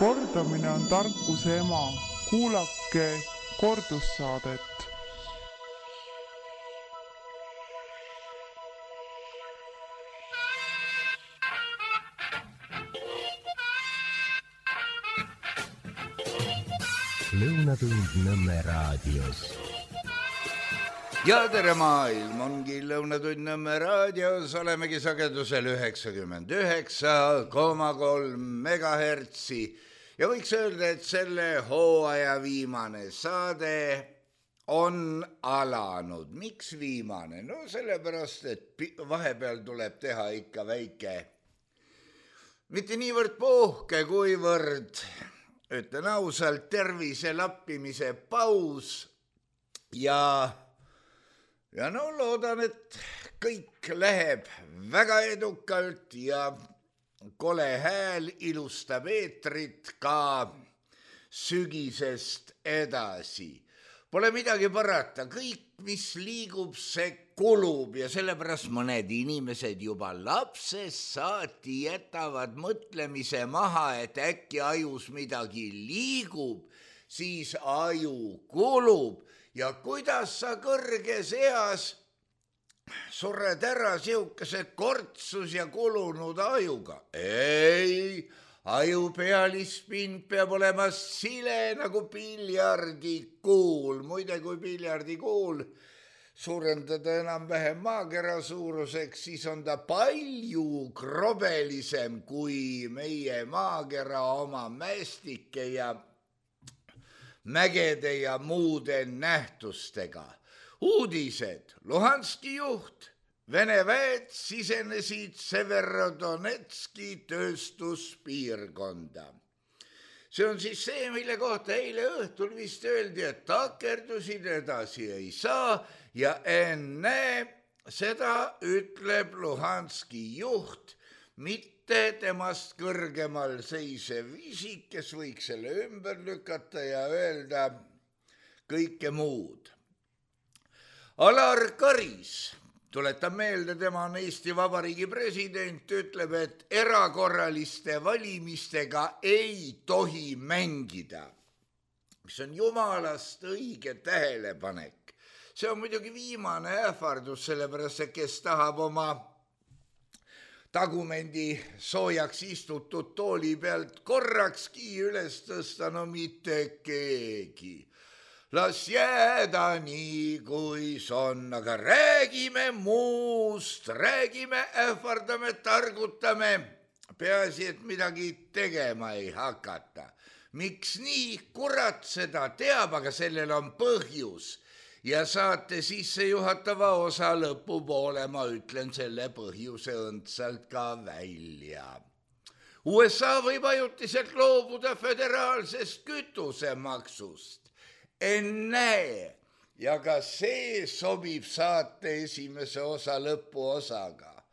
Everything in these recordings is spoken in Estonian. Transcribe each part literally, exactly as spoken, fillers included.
Kordamine on tarkuse ema. Kuulake kordussaadet. Lõunatund Nõmme raadios. Ja tere maailm, ongi Lõunatund Nõmme raadios, olemegi sagedusel üheksakümmend üheksa koma kolm megahertsi ja võiks öelda, et selle hooaja viimane saade on alanud. Miks viimane? No sellepärast, et vahepeal tuleb teha ikka väike, mitte niivõrd puhke, kuivõrd, ütlen ausalt, tervise lappimise paus ja Ja no loodan, et kõik läheb väga edukalt ja kole hääl ilustab eetrit ka sügisest edasi. Pole midagi parata, kõik, mis liigub, see kulub ja sellepärast mõned inimesed juba lapsest saati jätavad mõtlemise maha, et äkki ajus midagi liigub, siis aju kulub. Ja kuidas sa kõrges eas sured ära siukese kortsus ja kulunud ajuga? Ei, aju pealispind peab olema sile nagu piljardikuul. Muide, kui piljardikuul suurendada enam-vähem maakera suuruseks, siis on ta palju krobelisem kui meie maakera oma mäestike ja mägede ja muude nähtustega. Uudised. Luhanski juht. Vene väed sisenesid Severodonetski tööstuspiirkonda. See on siis see, mille kohta eile õhtul vist öeldi, et takerdusid edasi ei saa ja enne seda ütleb Luhanski juht, mitte temast kõrgemal seisev isik, kes võiks selle ümber lükata ja öelda kõike muud. Alar Karis, tuletan meelde, tema on Eesti Vabariigi president, ütleb, et erakorraliste valimistega ei tohi mängida, mis on jumalast õige tähelepanek. See on muidugi viimane ähvardus, sellepärast, et kes tahab oma tagumendi soojaks istutud tooli pealt korrakski üles tõsta, no mitte keegi. Las jääda nii, kuis on, aga räägime muust, räägime, ähvardame, targutame, peaasi, et midagi tegema ei hakata. Miks nii? Kurat seda teab, aga sellel on põhjus. Ja saate sisse juhatava osa lõpupoole, ma ütlen selle põhjuse õndsalt ka välja. U S A võib ajutiselt loobuda föderaalsest kütusemaksust. Ennäe, ja ka see sobib saate esimese osa lõpuosaga.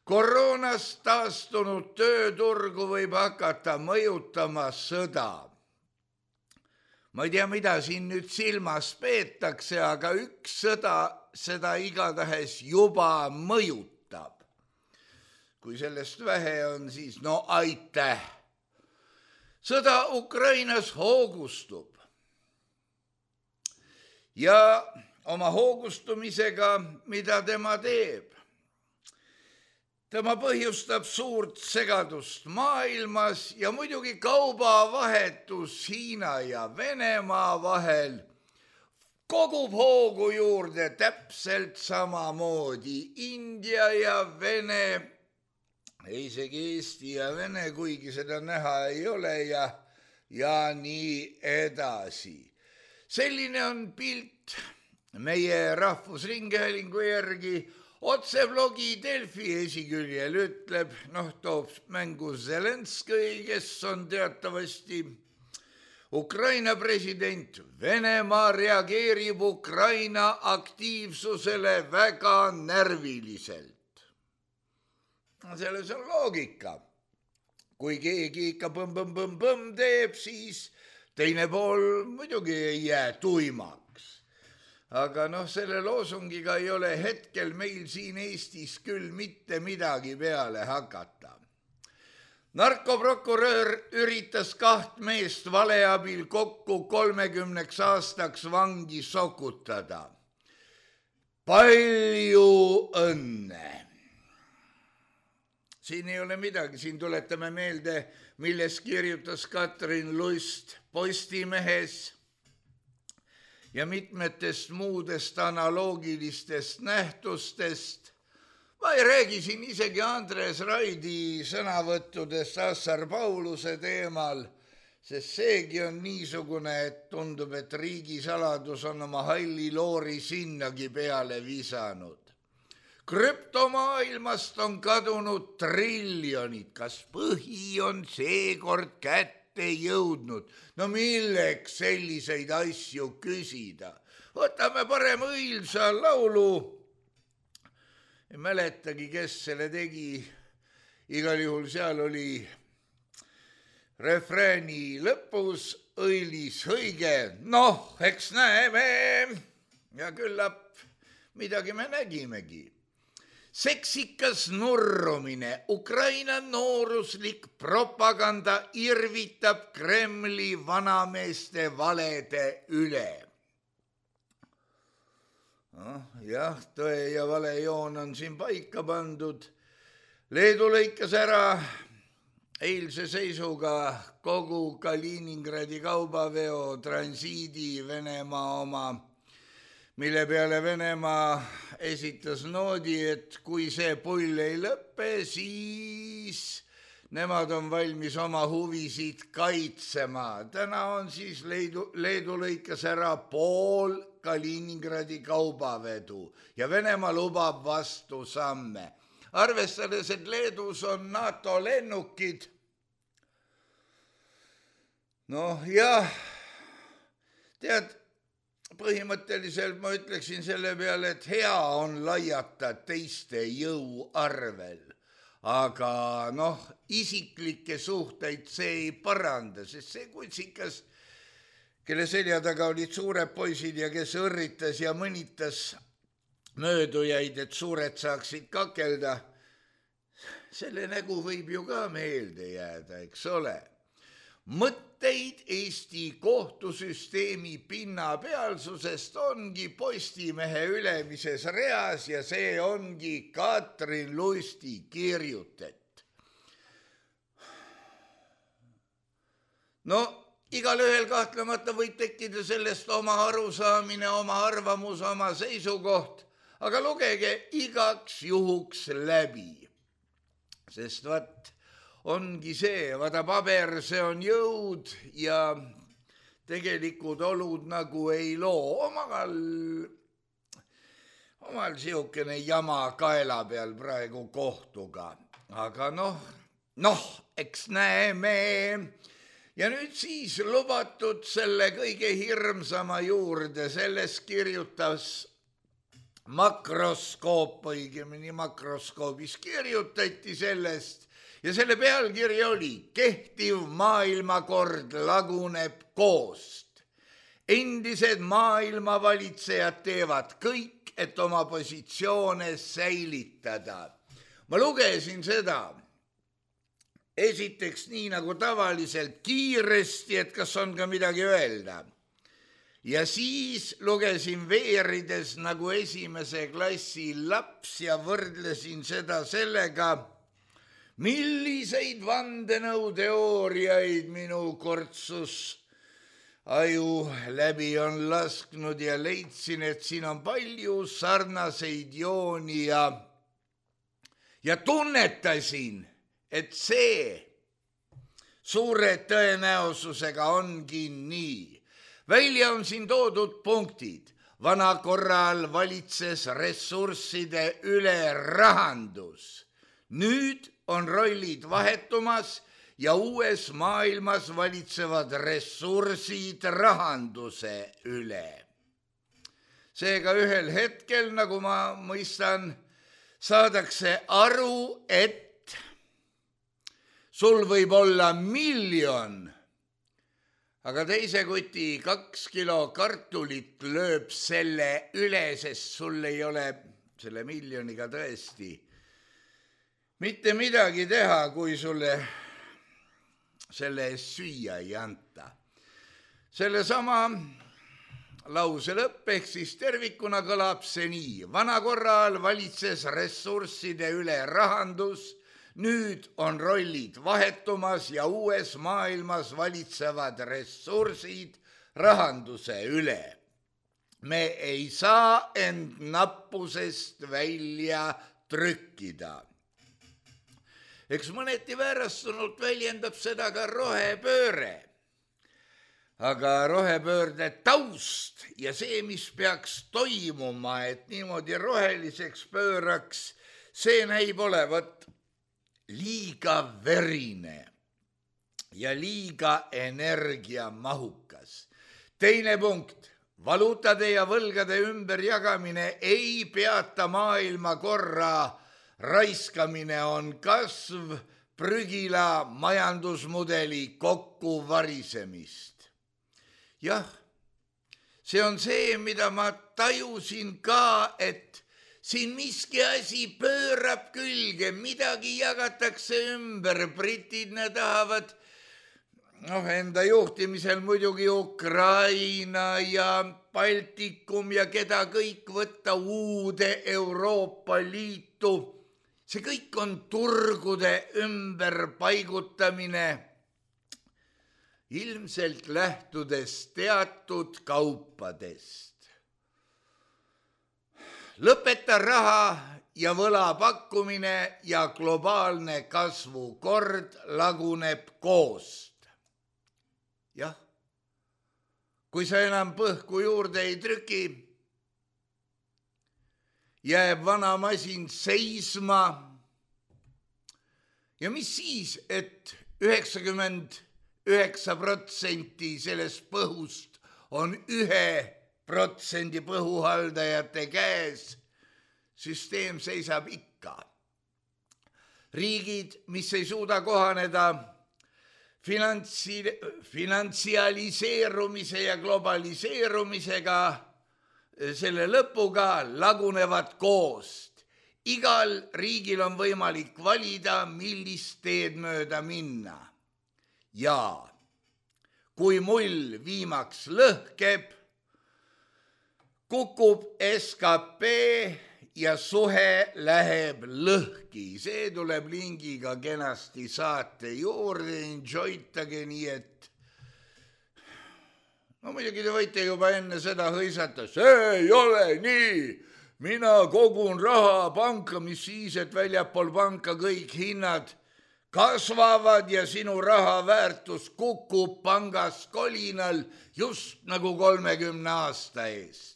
Koroonast taastunud tööturgu võib hakata mõjutama sõda. Ma ei tea, mida siin nüüd silmas peetakse, aga üks sõda seda igatahes juba mõjutab. Kui sellest vähe on, siis no aitäh. Sõda Ukrainas hoogustub. Ja oma hoogustumisega, mida tema teeb? Tema põhjustab suurt segadust maailmas ja muidugi kaubavahetus Hiina ja Venemaa vahel kogub hoogu juurde täpselt samamoodi. India ja Vene, isegi Eesti ja Vene, kuigi seda näha ei ole ja, ja nii edasi. Selline on pilt meie Rahvusringhäälingu järgi. Otsevlogi Delfi esiküljel ütleb, noh, toob mängu Zelenskõi, kes on teatavasti Ukraina president. Venemaa reageerib Ukraina aktiivsusele väga närviliselt. Selles on loogika. Kui keegi ikka põmm-põmm-põmm teeb, siis teine pool muidugi ei jää tuimaks. Aga noh, selle loosungiga ei ole hetkel meil siin Eestis küll mitte midagi peale hakata. narkoprokurör üritas kaht meest vale abil kokku kolmekümneks aastaks vangi sokutada. Palju õnne! Siin ei ole midagi, siin tuletame meelde, milles kirjutas Katrin Lust Postimehes ja mitmetest muudest analoogilistest nähtustest. Ma ei räägi siin isegi Andres Raidi sõnavõttudest Assar Pauluse teemal, sest seegi on niisugune, et tundub, et riigisaladus on oma halli loori sinnagi peale visanud. Krüptomaailmast on kadunud triljonid, kas põhi on seekord kätte jõudnud? No milleks selliseid asju küsida? Võtame parem õilsa laulu. Ei mäletagi, kes selle tegi. Igal juhul seal oli refrääni lõpus õilis õige. Noh, eks näeme ja küllap midagi me nägimegi. Seksikas nurrumine, Ukraina nooruslik propaganda irvitab Kremli vanameeste valede üle. No, jah, tõe ja vale joon on siin paika pandud. Leedu lõikas ära eilse seisuga kogu Kaliningradi kaubaveo transiidi Venemaa oma, mille peale Venemaa esitas noodi, et kui see pull ei lõppe, siis nemad on valmis oma huvisid kaitsema. Täna on siis Leedu, Leedu lõikas ära pool Kaliningradi kaubavedu ja Venemaa lubab vastu samme. Arvestades, et Leedus on NATO lennukid, noh jah, tead, põhimõtteliselt ma ütleksin selle peale, et hea on laiata teiste jõu arvel, aga noh, isiklikke suhteid see ei paranda, sest see kutsikas, kelle selja taga olid suured poisid ja kes õrritas ja mõnitas möödujaid, et suured saaksid kakelda, selle nägu võib ju ka meelde jääda, eks ole. Mõtteid Eesti kohtusüsteemi pinnapealsusest ongi Postimehe ülemises reas ja see ongi Katrin Lusti kirjutet. No, igal ühel kahtlemata võib tekkida sellest oma arusaamine, oma arvamus, oma seisukoht, aga lugege igaks juhuks läbi, sest vaat, ongi see, vaata paber, see on jõud ja tegelikud olud nagu ei loo. Omal, omal siukene jama kaela peal praegu kohtuga. Aga noh, noh, eks näeme. Ja nüüd siis lubatud selle kõige hirmsama juurde, selles kirjutas makroskoop, õigemini makroskoobis kirjutati sellest, ja selle pealkiri oli Kehtiv maailmakord laguneb koost. Endised maailmavalitsejad teevad kõik, et oma positsioone säilitada. Ma lugesin seda esiteks nii nagu tavaliselt kiiresti, et kas on ka midagi öelda. Ja siis lugesin veerides nagu esimese klassi laps ja võrdlesin seda sellega, milliseid vandenõuteooriaid minu kortsus aju läbi on lasknud ja leidsin, et siin on palju sarnaseid jooni ja, ja tunnetasin, et see suure tõenäosusega ongi nii. Välja on siin toodud punktid. Vana korral valitses ressursside üle rahandus. Nüüd on rollid vahetumas ja uues maailmas valitsevad ressursid rahanduse üle. Seega ühel hetkel, nagu ma mõistan, saadakse aru, et sul võib olla miljon, aga teise kuti kaks kilo kartulit lööb selle üle, sest sul ei ole selle miljoniga tõesti mitte midagi teha, kui sulle selle eest süüa ei anta. Selle sama lause lõpp ehk siis tervikuna kõlab see nii. Vana korral valitses ressursside üle rahandus, nüüd on rollid vahetumas ja uues maailmas valitsevad ressursid rahanduse üle. Me ei saa end nappusest välja trükkida. Eks mõneti väärastunult väljendab seda ka rohepööre. Aga rohepöörde taust ja see, mis peaks toimuma, et niimoodi roheliseks pööraks, see näib olevat liiga verine ja liiga energiamahukas. Teine punkt. Valuutade ja võlgade ümberjagamine ei peata maailma korra, raiskamine on kasv prügila majandusmudeli kokkuvarisemist. Jah, see on see, mida ma tajusin ka, et siin miski asi pöörab külge, midagi jagatakse ümber, britid ne tahavad noh, enda juhtimisel muidugi Ukraina ja Baltikum ja keda kõik võtta uude Euroopa Liitu. See kõik on turgude ümberpaigutamine, ilmselt lähtudes teatud kaupadest. Lõpeta raha ja võla pakkumine ja globaalne kasvukord laguneb koost. Jah, kui sa enam põhku juurde ei trüki, jääb vana masin seisma. Ja mis siis, et üheksakümmend üheksa protsenti sellest põhust on ühe protsendi põhuhaldajate käes, süsteem seisab ikka. Riigid, mis ei suuda kohaneda Finantsi, finantsialiseerumise ja globaliseerumisega, selle lõpuga lagunevad koost. Igal riigil on võimalik valida, millist teed mööda minna. Ja kui mull viimaks lõhkeb, kukub S K P ja suhe läheb lõhki. See tuleb lingiga kenasti saate juurde, enjoytage, nii et no muidugi te võite juba enne seda hõisata, see ei ole nii, mina kogun raha panka, mis siis, et väljapool panka kõik hinnad kasvavad ja sinu raha väärtus kukub pangas kolinal just nagu kolmekümne aasta eest.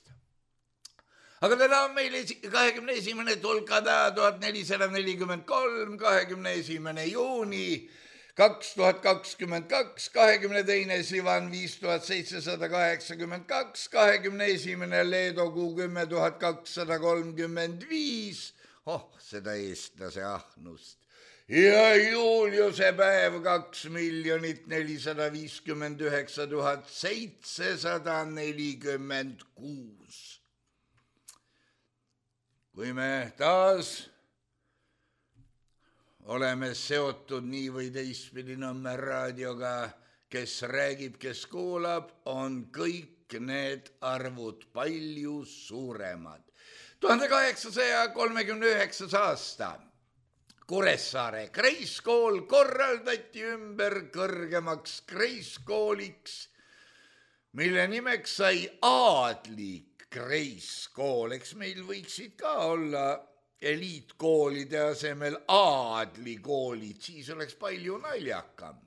Aga täna on meil kahekümne esimene tulkada tuhat nelisada nelikümmend kolm, kahekümne esimene juuni kaks tuhat kakskümmend kaks, kahekümne teine Sivan viis tuhat seitsesada kaheksakümmend kaks, kahekümne esimene Leedo kuu kümme tuhat kakssada kolmkümmend viis, oh seda eestlase ahnust, ja Juliuse päev kaks miljonit nelisada viiskümmend üheksa tuhat seitsesada nelikümmend kuus. Kui me taas oleme seotud nii või teistpidi Nõmme raadioga, kes räägib, kes kuulab, on kõik need arvud palju suuremad. tuhande kaheksasaja kolmekümne üheksas aasta Kuressaare kreiskool korraldati ümber kõrgemaks kreiskooliks, mille nimeks sai Aadlik kreiskool. Eks meil võiksid ka olla eliitkoolide asemel aadlikoolid, siis oleks palju naljakam.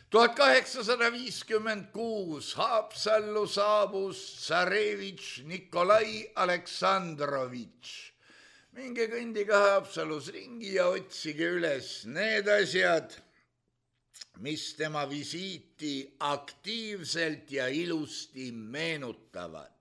tuhat kaheksasada viiskümmend kuus Haapsallu saabus tsarevitš Nikolai Aleksandrovitš. Minge kõndiga Haapsalus ringi ja otsige üles need asjad, mis tema visiiti aktiivselt ja ilusti meenutavad.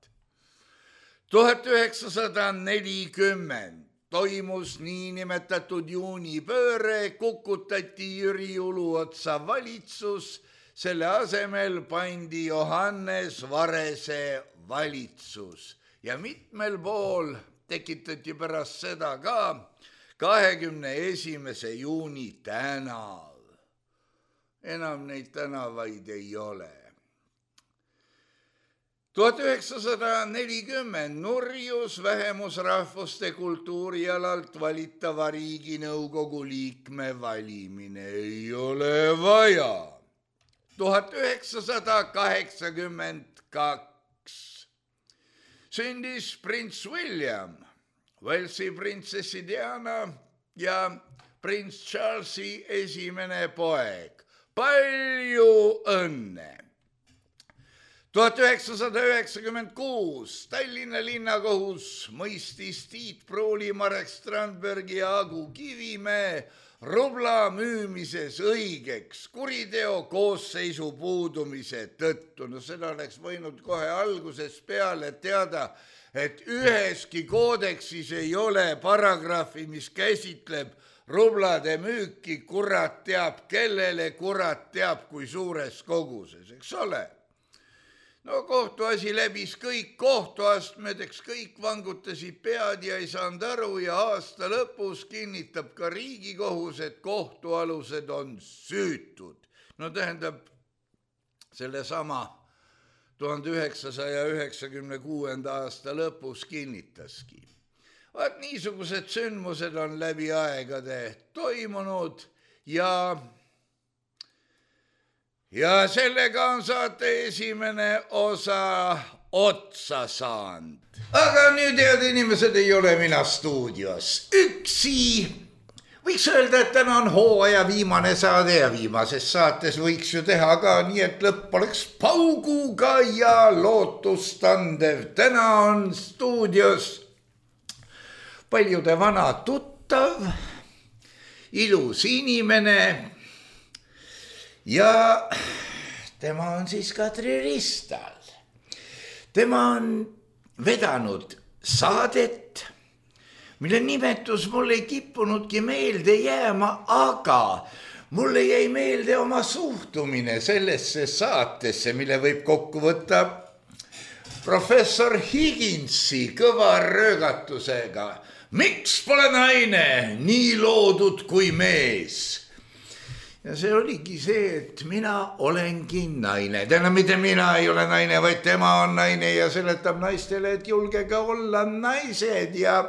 tuhat üheksasada nelikümmend toimus niinimetatud juunipööre, kukutati Jüri Uluotsa valitsus, selle asemel pandi Johannes Varese valitsus ja mitmel pool tekitati pärast seda ka kahekümne esimese juuni tänav. enam neid tänavaid ei ole. tuhat üheksasada nelikümmend nurjus vähemusrahvuste kultuurialalt valitava Riiginõukogu liikme valimine. Ei ole vaja. tuhat üheksasada kaheksakümmend kaks sündis prints William, Walesi printsessi Diana ja prints Charlesi esimene poeg. Palju õnne! tuhat üheksasada üheksakümmend kuus Tallinna linnakohus mõistis Tiit Pruuli, Marek Strandbergi ja Agu Kivimäe rubla müümises õigeks kuriteo koosseisu puudumise tõttu. No seda oleks võinud kohe alguses peale teada, et üheski koodeksis ei ole paragrahvi, mis käsitleb rublade müüki, kurat teab kellele, kurat teab kui suures koguses, eks ole. No kohtuasi läbis kõik kohtuastmed, eks kõik vangutasid pead ja ei saanud aru ja aasta lõpus kinnitab ka Riigikohus, et kohtualused on süütud. No tähendab, selle sama tuhande üheksasaja üheksakümne kuuenda aasta lõpus kinnitaski. Vaat niisugused sündmused on läbi aegade toimunud ja Ja sellega on saate esimene osa otsa saanud. Aga nüüd, head inimesed, ei ole mina stuudios üksi. Võiks öelda, et täna on hooaja viimane saade ja viimases saates võiks ju teha ka nii, et lõpp oleks pauguga ja lootustandev. Täna on stuudios paljude vana tuttav, ilus inimene. Ja tema on siis Kadri Ristal. Tema on vedanud saadet, mille nimetus mul ei kippunudki meelde jääma, aga mulle jäi meelde oma suhtumine sellesse saatesse, mille võib kokku võtta professor Higginsi kõva röögatusega. Miks pole naine nii loodud kui mees? Ja see oligi see, et mina olengi naine. Täna mitte mina ei ole naine, vaid tema on naine ja seletab naistele, et julgege olla naised ja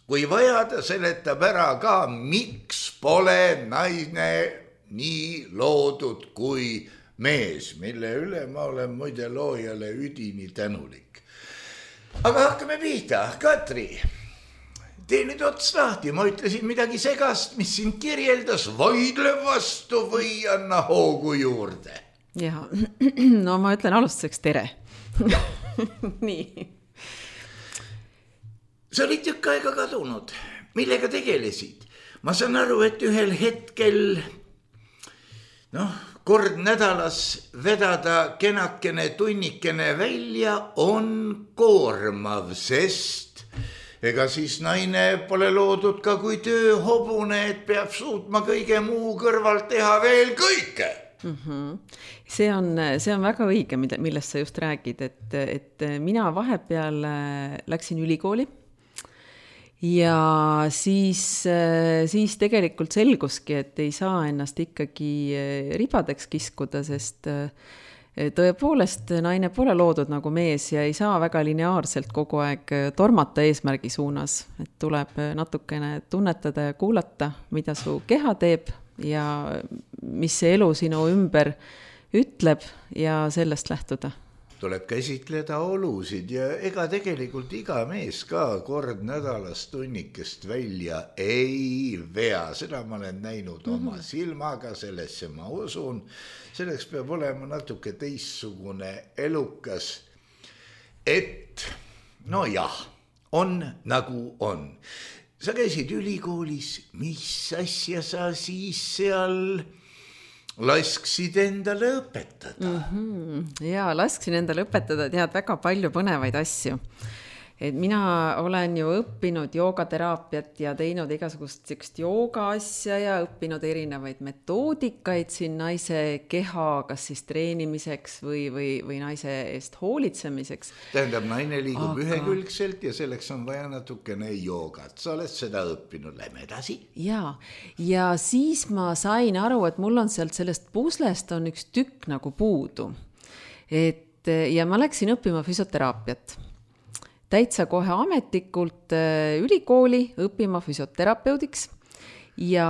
kui vaja, ta seletab ära ka, miks pole naine nii loodud kui mees, mille üle ma olen muide loojale üdini tänulik. Aga hakkame pihta. Katri, tee nüüd ots lahti, ma ütlesin midagi segast, mis sind kirjeldas, vaidle vastu või anna hoogu juurde. Ja, no ma ütlen alustuseks tere. Nii. Sa olid tükk aega kadunud. Millega tegelesid? Ma saan aru, et ühel hetkel, noh, kord nädalas vedada kenakene tunnikene välja on koormav, sest ega siis naine pole loodud ka kui tööhobune, et peab suutma kõige muu kõrvalt teha veel kõike. Mm-hmm. See on, see on väga õige, millest sa just räägid, et, et mina vahepeal läksin ülikooli ja siis, siis tegelikult selguski, et ei saa ennast ikkagi ribadeks kiskuda, sest tõepoolest naine pole loodud nagu mees ja ei saa väga lineaarselt kogu aeg tormata eesmärgi suunas, et tuleb natukene tunnetada ja kuulata, mida su keha teeb ja mis see elu sinu ümber ütleb ja sellest lähtuda. Tuleb käsitleda olusid ja ega tegelikult iga mees ka kord nädalas tunnikest välja ei vea. Seda ma olen näinud oma mm-hmm. silmaga, sellesse ma usun. Selleks peab olema natuke teissugune elukas, et no jah, on nagu on. Sa käisid ülikoolis, mis asja sa siis seal lasksid endale õpetada? Mm-hmm. Jaa, lasksin endale õpetada, tead väga palju põnevaid asju. et mina olen ju õppinud joogateraapiat ja teinud igasugust sükst jooga asja ja õppinud erinevaid metoodikaid siin naise keha, kas siis treenimiseks või, või, või naise eest hoolitsemiseks. Tähendab, naine liigub Aga... ühekülgselt ja selleks on vaja natukene joogat. Sa oled seda õppinud, lähme edasi. Ja, ja siis ma sain aru, et mul on sealt sellest puslest on üks tükk nagu puudu. Et, ja ma läksin õppima füsioteraapiat. Täitsa kohe ametlikult ülikooli õppima füsioterapeudiks ja,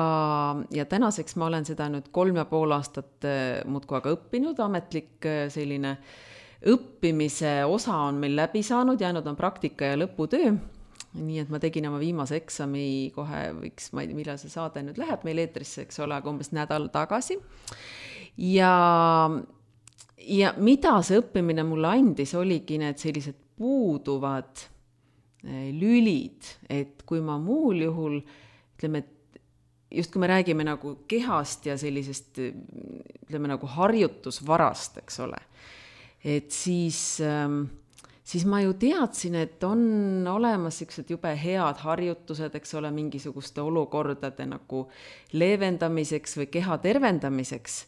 ja tänaseks ma olen seda nüüd kolm ja pool aastat muudkui aga õppinud, ametlik selline õppimise osa on meil läbi saanud, jäänud on praktika ja lõputöö, nii et ma tegin oma viimase eksami kohe, võiks, ma ei tea, millal see saade nüüd läheb meil eetrisse, eks ole, aga umbes nädal tagasi ja, ja mida see õppimine mulle andis, oligi need sellised puuduvad lülid, et kui ma muul juhul, ütleme, just kui me räägime nagu kehast ja sellisest, ütleme nagu harjutusvarast, eks ole, et siis, siis ma ju teadsin, et on olemas siuksed jube head harjutused, eks ole, mingisuguste olukordade nagu leevendamiseks või keha tervendamiseks.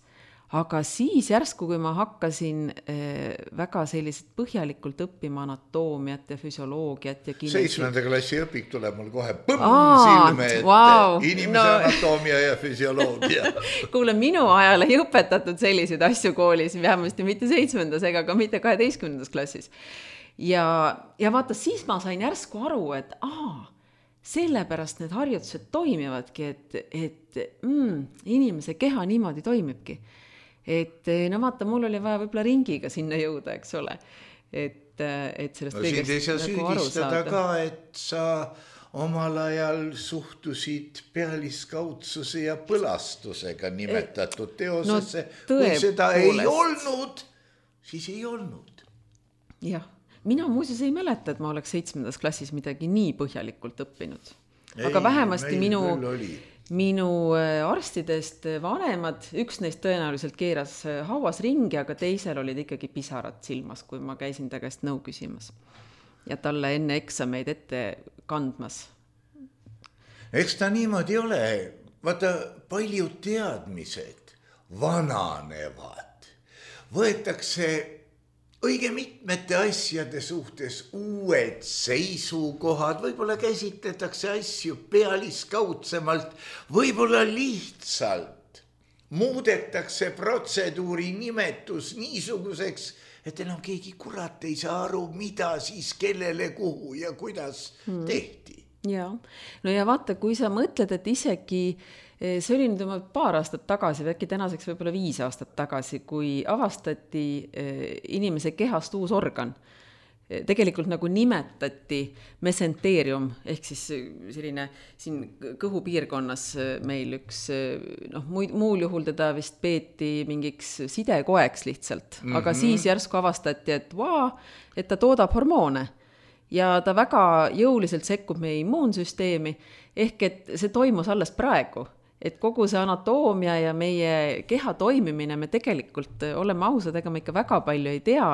Aga siis järsku, kui ma hakkasin äh, väga sellised põhjalikult õppima anatoomiat ja füsioloogiat ja kinesi... Seitsmenda klassi õpik tuleb mul kohe põmm Aa, silme ette. Wow, inimese no... anatoomia ja füsioloogia. Kuule, minu ajal ei õpetatud selliseid asju koolis, vähemasti mitte seitsmendas ega ka mitte kaheteistkümnendas klassis. Ja, ja vaata, siis ma sain järsku aru, et aa, sellepärast need harjutused toimivadki, et, et mm, inimese keha niimoodi toimibki. Et no vaata, mul oli vaja võib-olla ringiga sinna jõuda, eks ole. Et, et sellest no, kõigest nagu aru saada. Süüdistada ka, et sa omal ajal suhtusid pealiskaudsuse ja põlastusega nimetatud teosesse. No, kui seda poolest. Ei olnud, siis ei olnud. Jah, mina muuseas ei mäleta, et ma oleks seitsmendas klassis midagi nii põhjalikult õppinud. Aga ei, vähemasti minu... Minu arstidest vanemad, üks neist tõenäoliselt keeras hauas ringi, aga teisel olid ikkagi pisarad silmas, kui ma käisin ta käest nõu küsimas. Ja talle enne eksameid ette kandmas. Eks ta niimoodi ole. Vaata, paljud teadmised vananevad. Võetakse õige mitmete asjade suhtes uued seisukohad, võib-olla käsitletakse asju pealiskaudsemalt, võib-olla lihtsalt muudetakse protseduuri nimetus niisuguseks, et enam keegi kurat ei saa aru, mida siis kellele, kuhu ja kuidas hmm. tehti. Ja. No ja vaata, kui sa mõtled, et isegi see oli nüüd paar aastat tagasi, äkki tänaseks võib-olla viis aastat tagasi, kui avastati inimese kehast uus organ. Tegelikult nagu nimetati mesenterium, ehk siis selline siin kõhupiirkonnas meil üks, noh, muul juhul teda vist peeti mingiks sidekoeks lihtsalt, mm-hmm. aga siis järsku avastati, et vaa, et ta toodab hormoone ja ta väga jõuliselt sekkub meie immuunsüsteemi, ehk et see toimus alles praegu. Et kogu see anatoomia ja meie keha toimimine, me tegelikult oleme ausad, ega me ikka väga palju ei tea.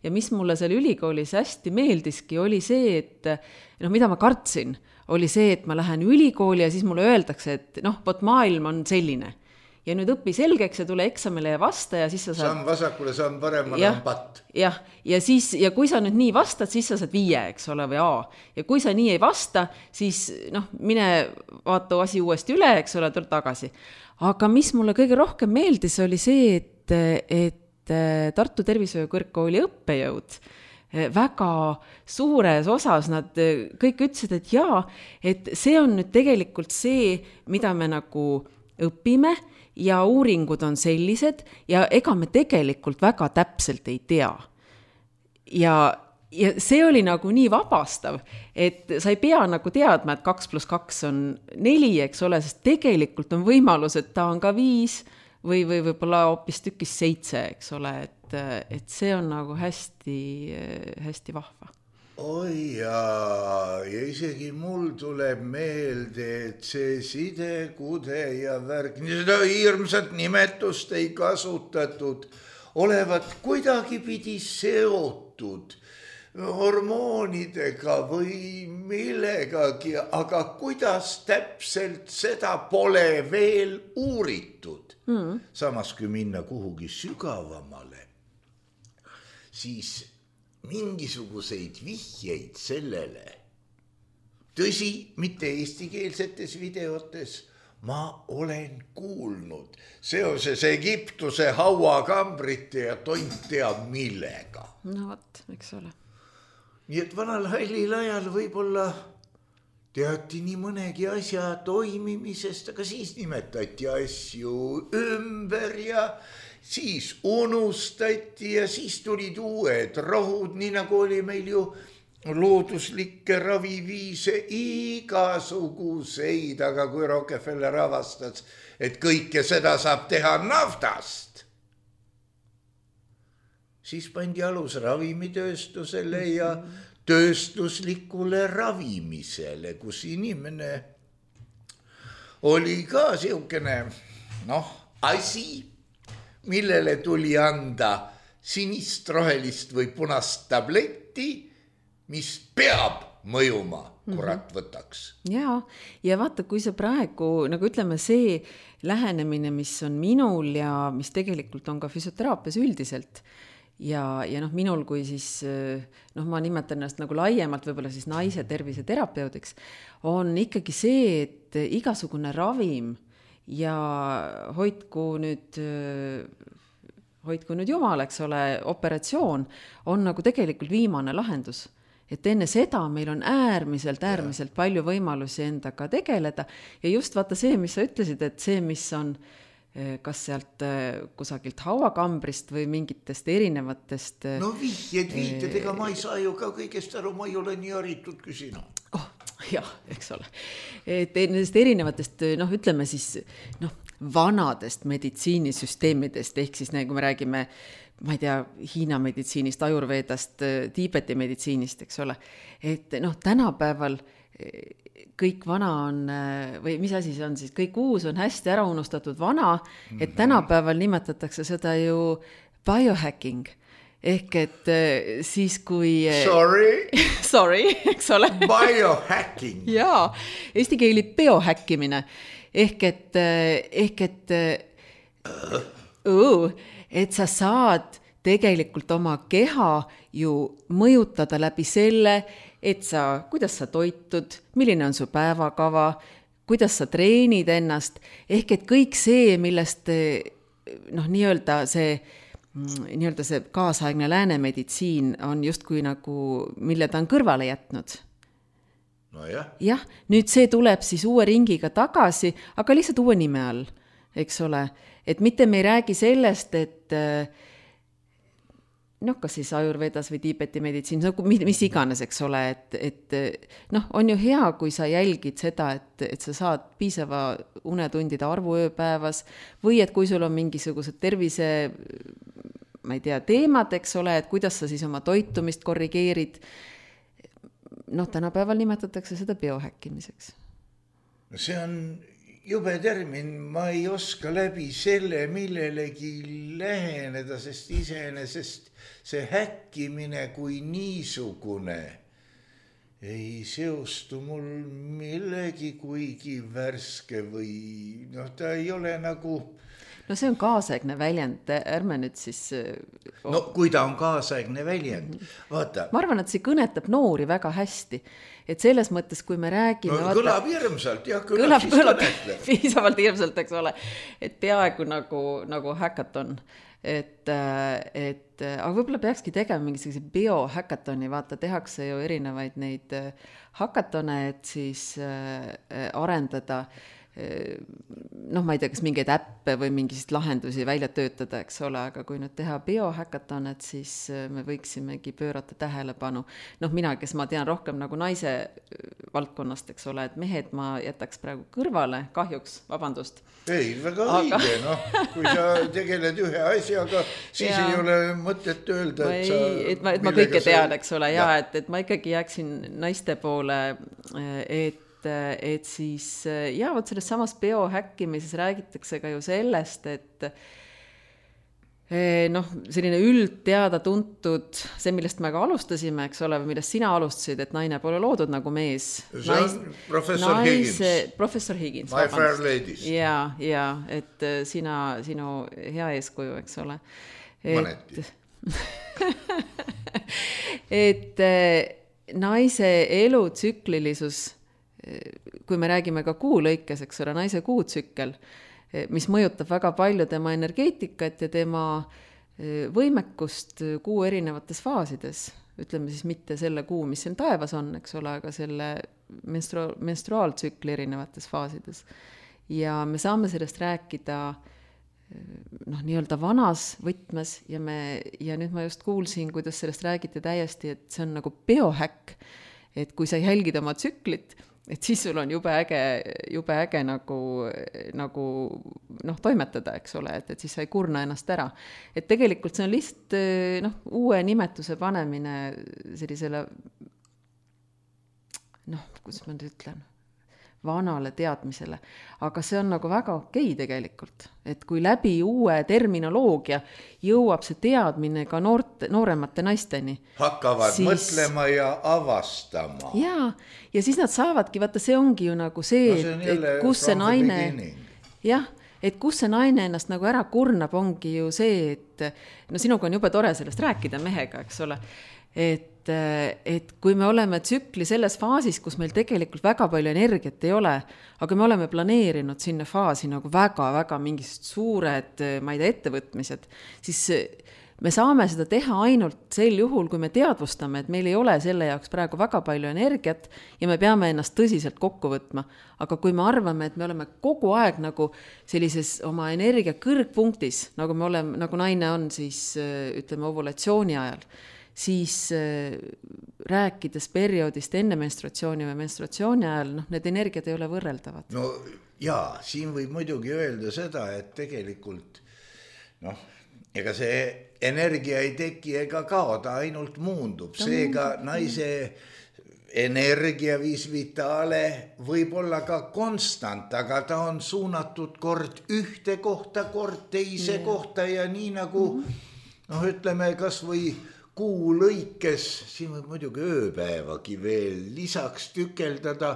Ja mis mulle seal ülikoolis hästi meeldiski, oli see, et noh, mida ma kartsin, oli see, et ma lähen ülikooli ja siis mulle öeldakse, et noh, vot maailm on selline. Ja nüüd õpi selgeks ja tule eksamile ja vasta ja siis sa saad... Samm vasakule, samm paremale on patt. Jah, ja, siis, ja kui sa nüüd nii vastad, siis sa saad viie, eks ole, või A. Ja kui sa nii ei vasta, siis noh, mine vaata asi uuesti üle, eks ole, tule tagasi. Aga mis mulle kõige rohkem meeldis, oli see, et, et Tartu Tervishoiu Kõrgkooli õppejõud väga suures osas nad kõik ütlesid, et jaa, et see on nüüd tegelikult see, mida me nagu õpime ja uuringud on sellised ja ega me tegelikult väga täpselt ei tea. Ja, ja see oli nagu nii vabastav, et sa ei pea nagu teadma, et kaks pluss kaks on neli, eks ole, sest tegelikult on võimalus, et ta on ka viis või, või võib-olla hoopis tükis seitse, eks ole, et, et see on nagu hästi, hästi vahva. Oi jaa, ja isegi mul tuleb meelde, et see side, kude ja värk, seda hirmsat nimetust ei kasutatud, olevat kuidagi pidi seotud hormoonidega või millegagi, aga kuidas täpselt seda pole veel uuritud. Mm. Samas kui minna kuhugi sügavamale, siis mingisuguseid vihjeid sellele, tõsi, mitte eestikeelsetes videotes, ma olen kuulnud seoses Egiptuse hauakambrite ja tont teab millega. No vot, eks ole. Nii et vanal hallil ajal võib-olla teati nii mõnegi asja toimimisest, aga siis nimetati asju ümber ja siis unustati ja siis tulid uued rohud, nii nagu oli meil ju looduslikke raviviise igasuguseid, aga kui Rockefeller avastas, et kõike seda saab teha naftast, siis pandi alus ravimitööstusele ja tööstuslikule ravimisele, kus inimene oli ka siukene, noh, asi, millele tuli anda sinist, rohelist või punast tabletti, mis peab mõjuma, kurat võtaks. Ja, ja vaata, kui see praegu, nagu ütleme, see lähenemine, mis on minul ja mis tegelikult on ka füsioteraapias üldiselt ja, ja noh, minul kui siis, noh, ma nimetan ennast nagu laiemalt võib-olla siis naise terviseterapeudiks, on ikkagi see, et igasugune ravim ja hoidku nüüd, hoidku nüüd jumal, eks ole, operatsioon on nagu tegelikult viimane lahendus. Et enne seda meil on äärmiselt, äärmiselt palju võimalusi endaga tegeleda ja just vaata see, mis sa ütlesid, et see, mis on kas sealt kusagilt hauakambrist või mingitest erinevatest... No vihjed, viited, ega ma ei saa ju ka kõigest aru, ma ei ole nii haritud kui sina. Oh, jah, eks ole. Et nendest erinevatest, noh, ütleme siis, noh, vanadest meditsiinisüsteemidest, ehk siis nagu me räägime, ma ei tea, Hiina meditsiinist, Ajurvedast, Tiibeti meditsiinist, eks ole. Et noh, tänapäeval kõik vana on, või mis asi see on siis, kõik uus on hästi ära unustatud vana, et tänapäeval nimetatakse seda ju biohacking. Ehk et siis kui... Sorry? Sorry, eks ole. Biohacking. Jaa, eesti keeli biohäkkimine. Ehk et, ehk et, õu, et sa saad tegelikult oma keha ju mõjutada läbi selle, et sa, kuidas sa toitud, milline on su päevakava, kuidas sa treenid ennast, ehk et kõik see, millest noh, nii-öelda see, nii-öelda see kaasaegne läänemeditsiin on justkui nagu, mille ta on kõrvale jätnud. No jah. Jah, nüüd see tuleb siis uue ringiga tagasi, aga lihtsalt uue nime all, eks ole. Et mitte me ei räägi sellest, et noh, kas siis Ajurvedas või Tiibeti meditsiin, mis iganes, eks ole, et, et noh, on ju hea, kui sa jälgid seda, et, et sa saad piisava unetundide arvu ööpäevas või et kui sul on mingisugused tervise, ma ei tea, teemad, eks ole, et kuidas sa siis oma toitumist korrigeerid. Noh, tänapäeval nimetatakse seda biohäkkimiseks. See on jube termin, ma ei oska läbi selle millelegi läheneda, sest iseenesest see häkkimine kui niisugune ei seostu mul millegi kuigi värske või noh, ta ei ole nagu... No see on kaasaegne väljend, ärme nüüd siis... Oh. No kui ta on kaasaegne väljend, vaata. Ma arvan, et see kõnetab noori väga hästi, et selles mõttes, kui me räägime... No, vaata, kõlab hirmsalt, jah, kõlab, kõlab, siis kõlab kõnetleb. Piisavalt hirmsalt, eks ole, et peaaegu nagu, nagu hackathon, et, et aga võib-olla peakski tegema mingisuguse biohackathoni, vaata, tehakse ju erinevaid neid hackathone, et siis arendada noh, ma ei tea, kas mingeid äppe või mingist lahendusi välja töötada, eks ole, aga kui nüüd teha biohackathon, et siis me võiksimegi pöörata tähelepanu. Noh, mina, kes ma tean rohkem nagu naise valdkonnast, eks ole, et mehed ma jätaks praegu kõrvale, kahjuks, vabandust. Ei, väga aga... õige, noh, kui sa tegeled ühe asjaga, siis ja. Ei ole mõtet öelda, et sa... Ei, et ma, et ma kõike tean, eks ole, ja, ja. Et, et ma ikkagi jääksin naiste poole, et et siis, ja vot selles samas biohäkkimises räägitakse ka ju sellest, et noh, selline üld teada tuntud, see, millest me ka alustasime, eks ole, millest sina alustasid, et naine pole loodud nagu mees. See on professor Higgins. Professor Higgins. My Fair Ladies. Ja, ja, et sina, sinu hea eeskuju, eks ole. Mõneti. Et naise elutsüklilisus, kui me räägime ka kuu lõikes, eks ole, naise kuutsükkel, mis mõjutab väga palju tema energeetikat ja tema võimekust kuu erinevates faasides. Ütleme siis mitte selle kuu, mis siin taevas on, eks ole, aga selle menstru- menstruaaltsükli erinevates faasides. Ja me saame sellest rääkida noh, nii-öelda vanas võtmes ja, me, ja nüüd ma just kuulsin, kuidas sellest räägiti täiesti, et see on nagu biohäkk, et kui sa jälgid oma tsüklit, et siis sul on jube äge, jube äge nagu, nagu noh, toimetada, eks ole, et, et siis sa ei kurna ennast ära. Et tegelikult see on lihtsalt noh, uue nimetuse panemine sellisele noh, kuidas ma nüüd ütlen, vanale teadmisele. Aga see on nagu väga okei tegelikult, et kui läbi uue terminoloogia jõuab see teadmine ka noorte, nooremate naisteni. Hakkavad siis mõtlema ja avastama. Jaa, ja siis nad saavadki, vaata see ongi ju nagu see, no, see et, et kus see naine, jah, et kus see naine ennast nagu ära kurnab, ongi ju see, et no sinuga on jube tore sellest rääkida mehega, eks ole, et et kui me oleme tsükli selles faasis, kus meil tegelikult väga palju energiat ei ole, aga me oleme planeerinud sinna faasi nagu väga-väga mingid suured, ma ei tea, ettevõtmised, siis me saame seda teha ainult sel juhul, kui me teadvustame, et meil ei ole selle jaoks praegu väga palju energiat ja me peame ennast tõsiselt kokku võtma. Aga kui me arvame, et me oleme kogu aeg nagu sellises oma energia kõrgpunktis, nagu me oleme, nagu naine on siis ütleme ovulatsiooni ajal, siis äh, rääkides perioodist enne menstruatsiooni või menstruatsiooni ajal, noh, need energiat ei ole võrreldavad. No jaa, siin võib muidugi öelda seda, et tegelikult noh, ega see energia ei teki ega kao, ta ainult muundub. Seega naise energia vis vitale võib olla ka konstant, aga ta on suunatud kord ühte kohta, kord teise yeah. kohta ja nii nagu mm-hmm. noh, ütleme kas või kuu lõikes, siin võib muidugi ööpäevagi veel lisaks tükeldada,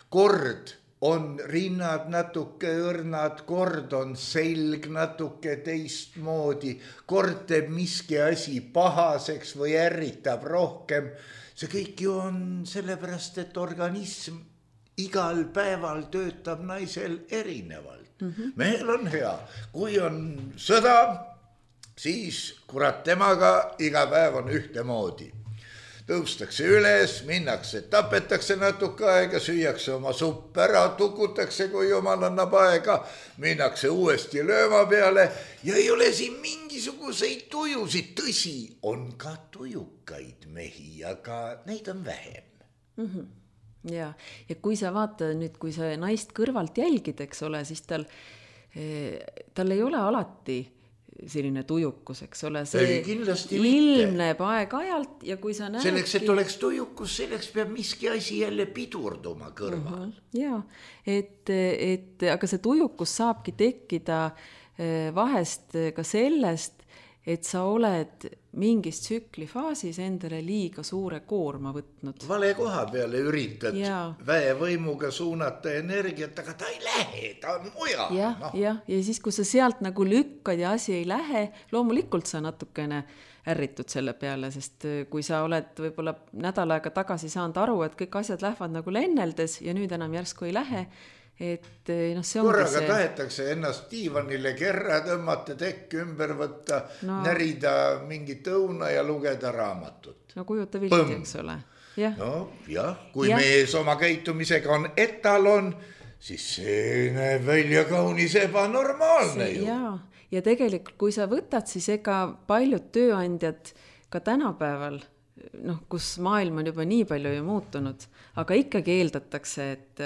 kord on rinnad natuke õrnad, kord on selg natuke teistmoodi, kord teeb miski asi pahaseks või ärritab rohkem. See kõik ju on sellepärast, et organism igal päeval töötab naisel erinevalt. Mm-hmm. Mehel on hea, kui on sõda, siis kurat temaga iga päev on ühtemoodi. Tõustakse üles, minnakse, tapetakse natuke aega, süüakse oma supp ära, tukutakse, kui jumal annab aega, minnakse uuesti lööma peale ja ei ole siin mingisuguseid tujusid. Tõsi, on ka tujukaid mehi, aga neid on vähem. Mm-hmm. Ja, ja kui sa vaata nüüd, kui sa naist kõrvalt jälgid, eks ole, siis tal, tal ei ole alati selline tujukus, eks ole, see ilmneb aeg-ajalt ja kui sa näedki... Selleks, et oleks tujukus, selleks peab miski asi jälle pidurduma kõrval. Uh-huh. Jaa, et, et, aga see tujukus saabki tekkida vahest ka sellest, et sa oled mingis tsüklifaasis endale liiga suure koorma võtnud. Vale koha peale üritad ja. Väevõimuga suunata energiat, aga ta ei lähe, ta on mujal. Jah, no. ja, ja siis, kui sa sealt nagu lükkad ja asi ei lähe, loomulikult sa natukene ärritud selle peale, sest kui sa oled võib-olla nädal aega tagasi saanud aru, et kõik asjad lähevad nagu lenneldes ja nüüd enam järsku ei lähe, et noh, see ongi korraga see... tahetakse ennast diivanile kerra tõmmata, tekk ümber võtta, no. närida mingit õuna ja lugeda raamatut. No kujuta vilti, eks ole. Ja. No jah, kui ja. mees oma käitumisega on etalon, siis see näeb välja kaunis ebanormaalne see, ju. Ja. ja tegelikult, kui sa võtad, siis ega paljud tööandjad ka tänapäeval, noh, kus maailm on juba nii palju ju muutunud, aga ikkagi eeldatakse, et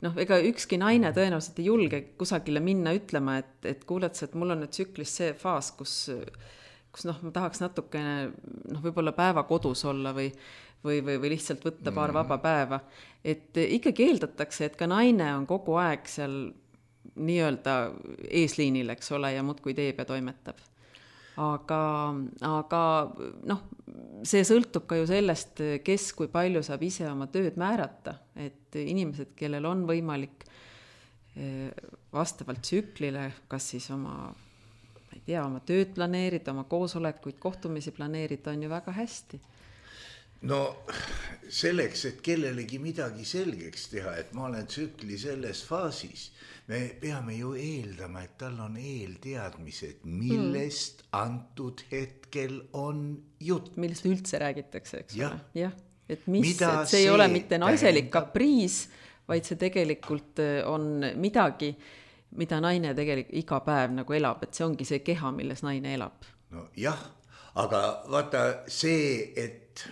noh, ega ükski naine tõenäoliselt ei julge kusagile minna ütlema, et, et kuuled sa, et mul on nüüd tsüklis see faas, kus, kus noh, ma tahaks natukene noh, võib-olla päeva kodus olla või, või, või, või lihtsalt võtta paar vaba päeva. Et ikkagi eeldatakse, et ka naine on kogu aeg seal nii-öelda eesliinil, eks ole, ja muudkui teeb ja toimetab. aga, aga noh, see sõltub ka ju sellest, kes kui palju saab ise oma tööd määrata, et inimesed, kellel on võimalik vastavalt tsüklile, kas siis oma, ma ei tea, oma tööd planeerida, oma koosolekuid, kohtumisi planeerida, on ju väga hästi. No selleks, et kellelegi midagi selgeks teha, et ma olen tsükli selles faasis, me peame ju eeldama, et tal on eelteadmised, millest mm. antud hetkel on jutt. Millest üldse räägitakse, eks ja. ole? Jah, et, mis, et see, see ei ole mitte naiselik tähendab... kapriis, vaid see tegelikult on midagi, mida naine tegelikult iga päev nagu elab, et see ongi see keha, milles naine elab. No jah, aga vaata see, et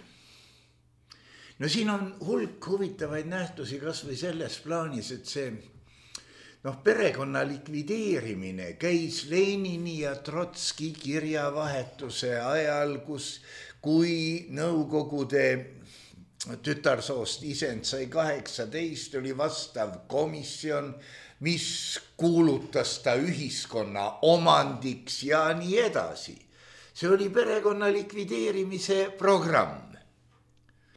no siin on hulk huvitavaid nähtusi kas või selles plaanis, et see noh, perekonna likvideerimine käis Lenini ja Trotski kirjavahetuse ajal, kus kui Nõukogude tütarsoost isend sai kaheksateist, oli vastav komisjon, mis kuulutas ta ühiskonna omandiks ja nii edasi. See oli perekonna likvideerimise programm.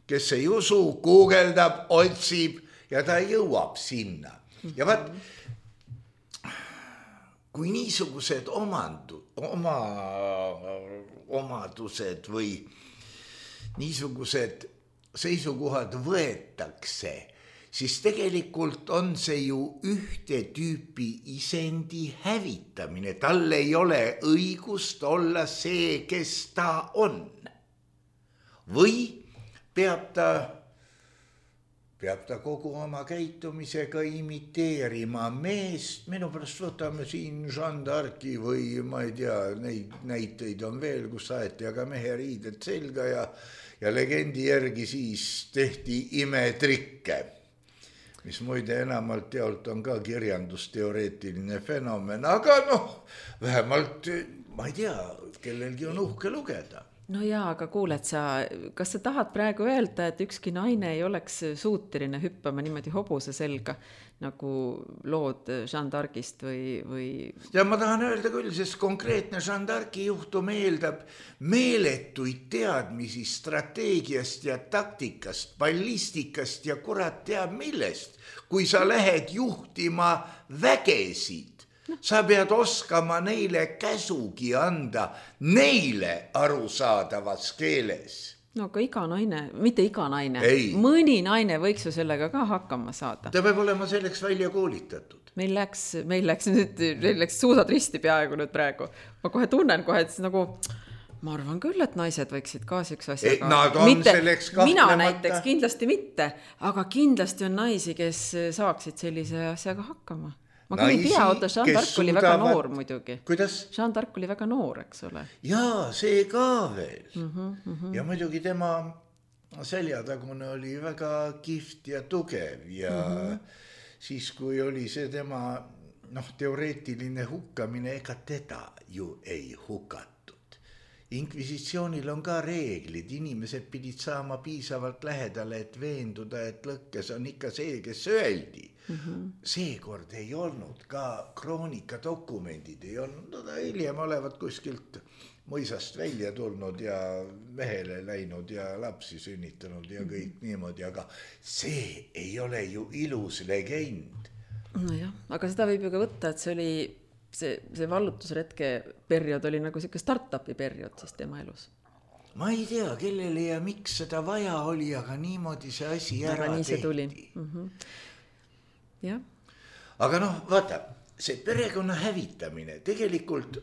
Kes ei usu, guugeldab, otsib ja ta jõuab sinna. Ja vaat, kui niisugused omandu, oma, omadused või niisugused seisukohad võetakse, siis tegelikult on see ju ühte tüüpi isendi hävitamine. Tal ei ole õigust olla see, kes ta on. Või peab ta, peab ta kogu oma käitumisega imiteerima meest. Minu pärast võtame siin Jeanne d'Arci või ma ei tea, neid näiteid on veel, kus saeti aga mehe riided selga ja, ja legendi järgi siis tehti imetrikke, mis muide enamalt jaolt on ka kirjandusteoreetiline fenomen, aga noh, vähemalt ma ei tea, kellelgi on uhke lugeda. No jaa, aga kuuled sa, kas sa tahad praegu öelda, et ükski naine ei oleks suuteline hüppama niimoodi hobuse selga, nagu lood Jeanne d'Arcist või, või... Ja ma tahan öelda küll, sest konkreetne Jeanne d'Arci juhtum eeldab meeletuid teadmisi strateegiast ja taktikast, ballistikast ja kurat teab millest. Kui sa lähed juhtima vägesid, sa pead oskama neile käsugi anda, neile arusaadavas keeles. No aga iga naine, mitte iga naine, Ei. mõni naine võiks ju sellega ka hakkama saada. Ta peab olema selleks välja koolitatud. Meil läks, meil läks nüüd, meil läks suusad risti peaaegu nüüd praegu. Ma kohe tunnen kohe, et nagu, ma arvan küll, et naised võiksid ka seks asjaga. Nad on mitte, selleks kahtlemata. Mina näiteks kindlasti mitte, aga kindlasti on naisi, kes saaksid sellise asjaga hakkama. Ma küll ei tea, oota, Jeanne d'Arc oli väga noor muidugi. Kuidas? Jeanne d'Arc oli väga noor, eks ole. Jaa, see ka veel. Mm-hmm, mm-hmm. Ja muidugi tema seljatagune oli väga kihvt ja tugev ja mm-hmm. siis, kui oli see tema noh, teoreetiline hukkamine, ega teda ju ei hukatud. Inkvisitsioonil on ka reeglid, inimesed pidid saama piisavalt lähedale, et veenduda, et lõkkes on ikka see, kes öeldi. Mm-hmm. Seekord ei olnud ka kroonika dokumendid, ei olnud, no ta hiljem olevat kuskilt mõisast välja tulnud ja mehele läinud ja lapsi sünnitanud ja kõik mm-hmm. niimoodi, aga see ei ole ju ilus legend. No jah, aga seda võib ju ka võtta, et see oli, see, see vallutusretke periood oli nagu siuke start-upi periood siis tema elus. Ma ei tea, kellele ja miks seda vaja oli, aga niimoodi see asi ära aga nii see tehti. tuli. Mm-hmm. Ja. Aga noh, vaata, see perekonna hävitamine, tegelikult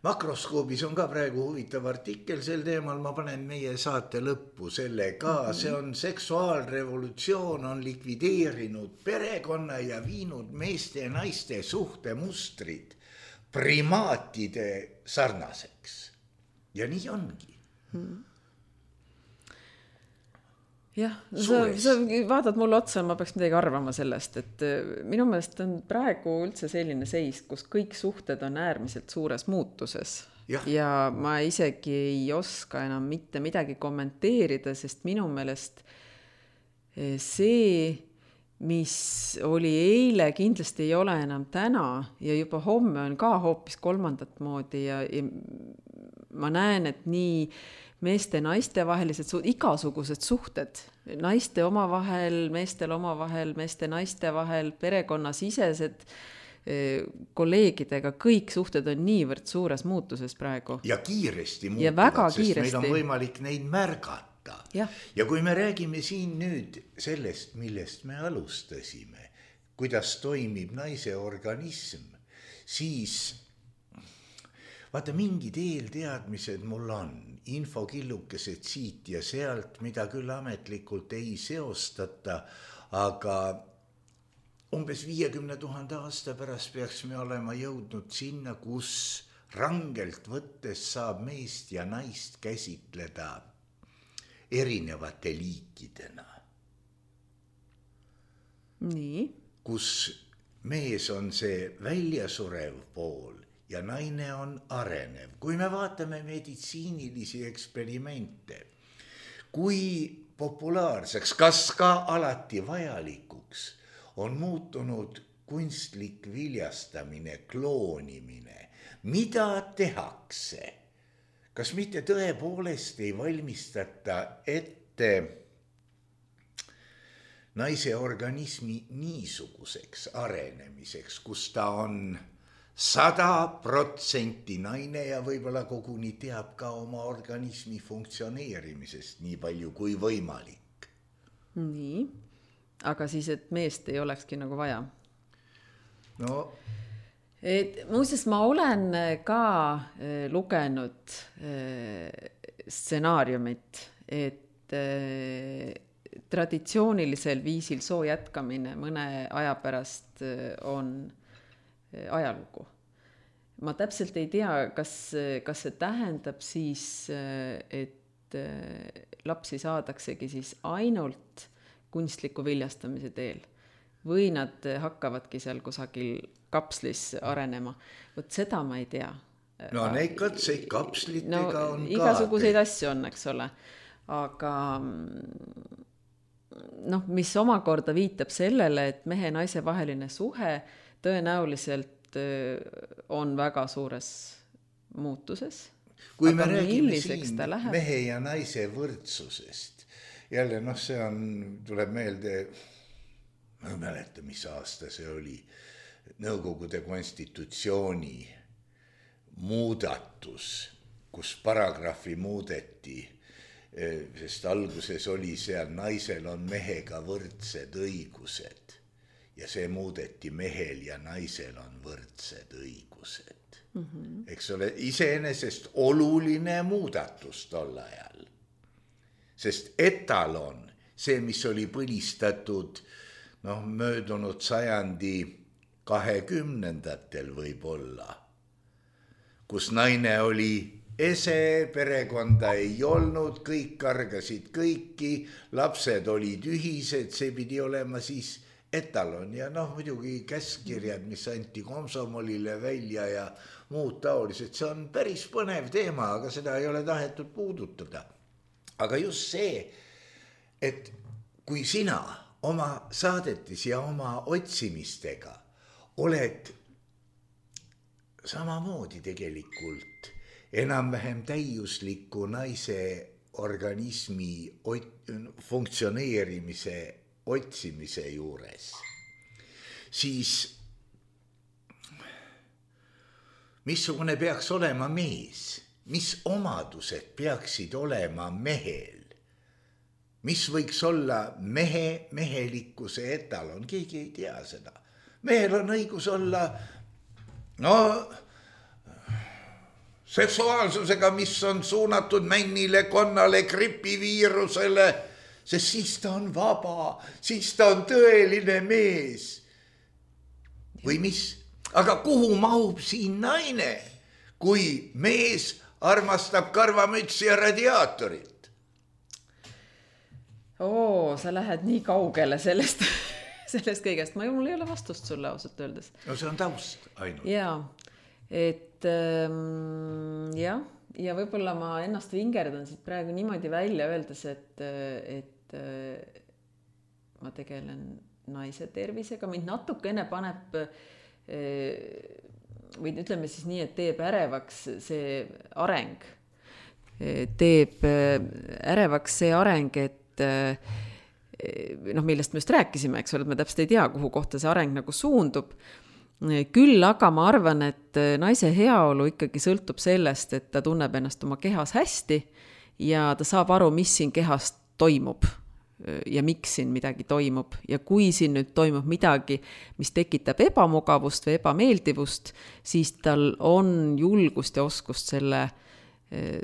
Makroskoobis on ka praegu huvitav artikkel sel teemal, ma panen meie saate lõppu selle ka, mm-hmm. see on seksuaalrevolutsioon on likvideerinud perekonna ja viinud meeste ja naiste suhtemustrid primaatide sarnaseks. Ja nii ongi. Mm-hmm. Jah, sa, sa vaatad mulle otsa, ma peaks midagi arvama sellest, et minu meelest on praegu üldse selline seis, kus kõik suhted on äärmiselt suures muutuses. Ja, ja ma isegi ei oska enam mitte midagi kommenteerida, sest minu meelest see, mis oli eile, kindlasti ei ole enam täna ja juba homme on ka hoopis kolmandat moodi ja, ja ma näen, et nii meeste ja naiste vahelised suhted, igasugused suhted, naiste omavahel, meestel omavahel, meeste naiste vahel, perekonnasisesed, kolleegidega, kõik suhted on niivõrd suures muutuses praegu. Ja kiiresti ja muutuvad, sest kiiresti. meil on võimalik neid märgata. Ja. ja kui me räägime siin nüüd sellest, millest me alustasime, kuidas toimib naise organism, siis vaata, mingid eelteadmised mul on, infokillukesed siit ja sealt, mida küll ametlikult ei seostata, aga umbes viiekümne tuhande aasta pärast peaks me olema jõudnud sinna, kus rangelt võttes saab meest ja naist käsitleda erinevate liikidena. Nii. Kus mees on see väljasurev pool ja naine on arenev. Kui me vaatame meditsiinilisi eksperimente, kui populaarseks, kas ka alati vajalikuks, on muutunud kunstlik viljastamine, kloonimine. Mida tehakse? Kas mitte tõepoolest ei valmistata ette naise organismi niisuguseks arenemiseks, kus ta on sada protsenti naine ja võib-olla koguni teab ka oma organismi funktsioneerimisest nii palju kui võimalik? Nii. Aga siis, et meest ei olekski nagu vaja. No. Et, muuseas, ma olen ka äh, lugenud äh, stsenaariumit, et äh, traditsioonilisel viisil soo jätkamine mõne aja pärast äh, on äh, ajalugu. Ma täpselt ei tea, kas, kas see tähendab siis, äh, et äh, lapsi saadaksegi siis ainult kunstliku viljastamise teel või nad hakkavadki seal kusagil kapslis arenema. Võt seda ma ei tea. No neid katseid kapslitega no, on ka. Igasuguseid asju on, eks ole. Aga noh, mis omakorda viitab sellele, et mehe ja naise vaheline suhe tõenäoliselt on väga suures muutuses. Kui aga me räägime siin mehe ja naise võrdsusest, jälle, noh, see on, tuleb meelde, ma ei mäleta, mis aasta see oli, Nõukogude konstitutsiooni muudatus, kus paragrahvi muudeti, sest alguses oli seal, naisel on mehega võrdsed õigused ja see muudeti, mehel ja naisel on võrdsed õigused. Mm-hmm. Eks ole, iseenesest oluline muudatus tol ajal. Sest etalon, see, mis oli põlistatud noh, möödunud sajandi kahekümnendatel võib-olla, kus naine oli ese, perekonda ei olnud, kõik kargasid kõiki, lapsed olid ühised, see pidi olema siis etalon ja noh, muidugi käskirjad, mis anti komsomolile välja ja muud taolised, see on päris põnev teema, aga seda ei ole tahetud puudutada. Aga just see, et kui sina oma saadetis ja oma otsimistega oled samamoodi tegelikult enam-vähem täiusliku naise organismi ot- funktsioneerimise otsimise juures, siis missugune peaks olema mees? Mis omadused peaksid olema mehel? Mis võiks olla mehe, mehelikkuse etalon? Keegi ei tea seda. Mehel on õigus olla no, seksuaalsusega, mis on suunatud männile, konnale, gripiviirusele, sest siis ta on vaba, siis ta on tõeline mees. Või mis? Aga kuhu mahub siin naine, kui mees armastab karvamütsi ja radiaatorit? Oo, sa lähed nii kaugele sellest, sellest kõigest. Ma mul ei ole vastust sulle ausalt öeldes. No see on taust ainult. Jaa, et ähm, jah, ja võib-olla ma ennast vingerdan siit praegu niimoodi välja öeldes, et, et äh, ma tegelen naise tervisega, mind natukene paneb või ütleme siis nii, et teeb ärevaks see areng. Teeb ärevaks see areng, et noh, millest me just rääkisime, eks ole, et me täpselt ei tea, kuhu kohta see areng nagu suundub. Küll aga ma arvan, et naise heaolu ikkagi sõltub sellest, et ta tunneb ennast oma kehas hästi ja ta saab aru, mis siin kehas toimub ja miks siin midagi toimub. Ja kui siin nüüd toimub midagi, mis tekitab ebamugavust või ebameeldivust, siis tal on julgust ja oskust selle,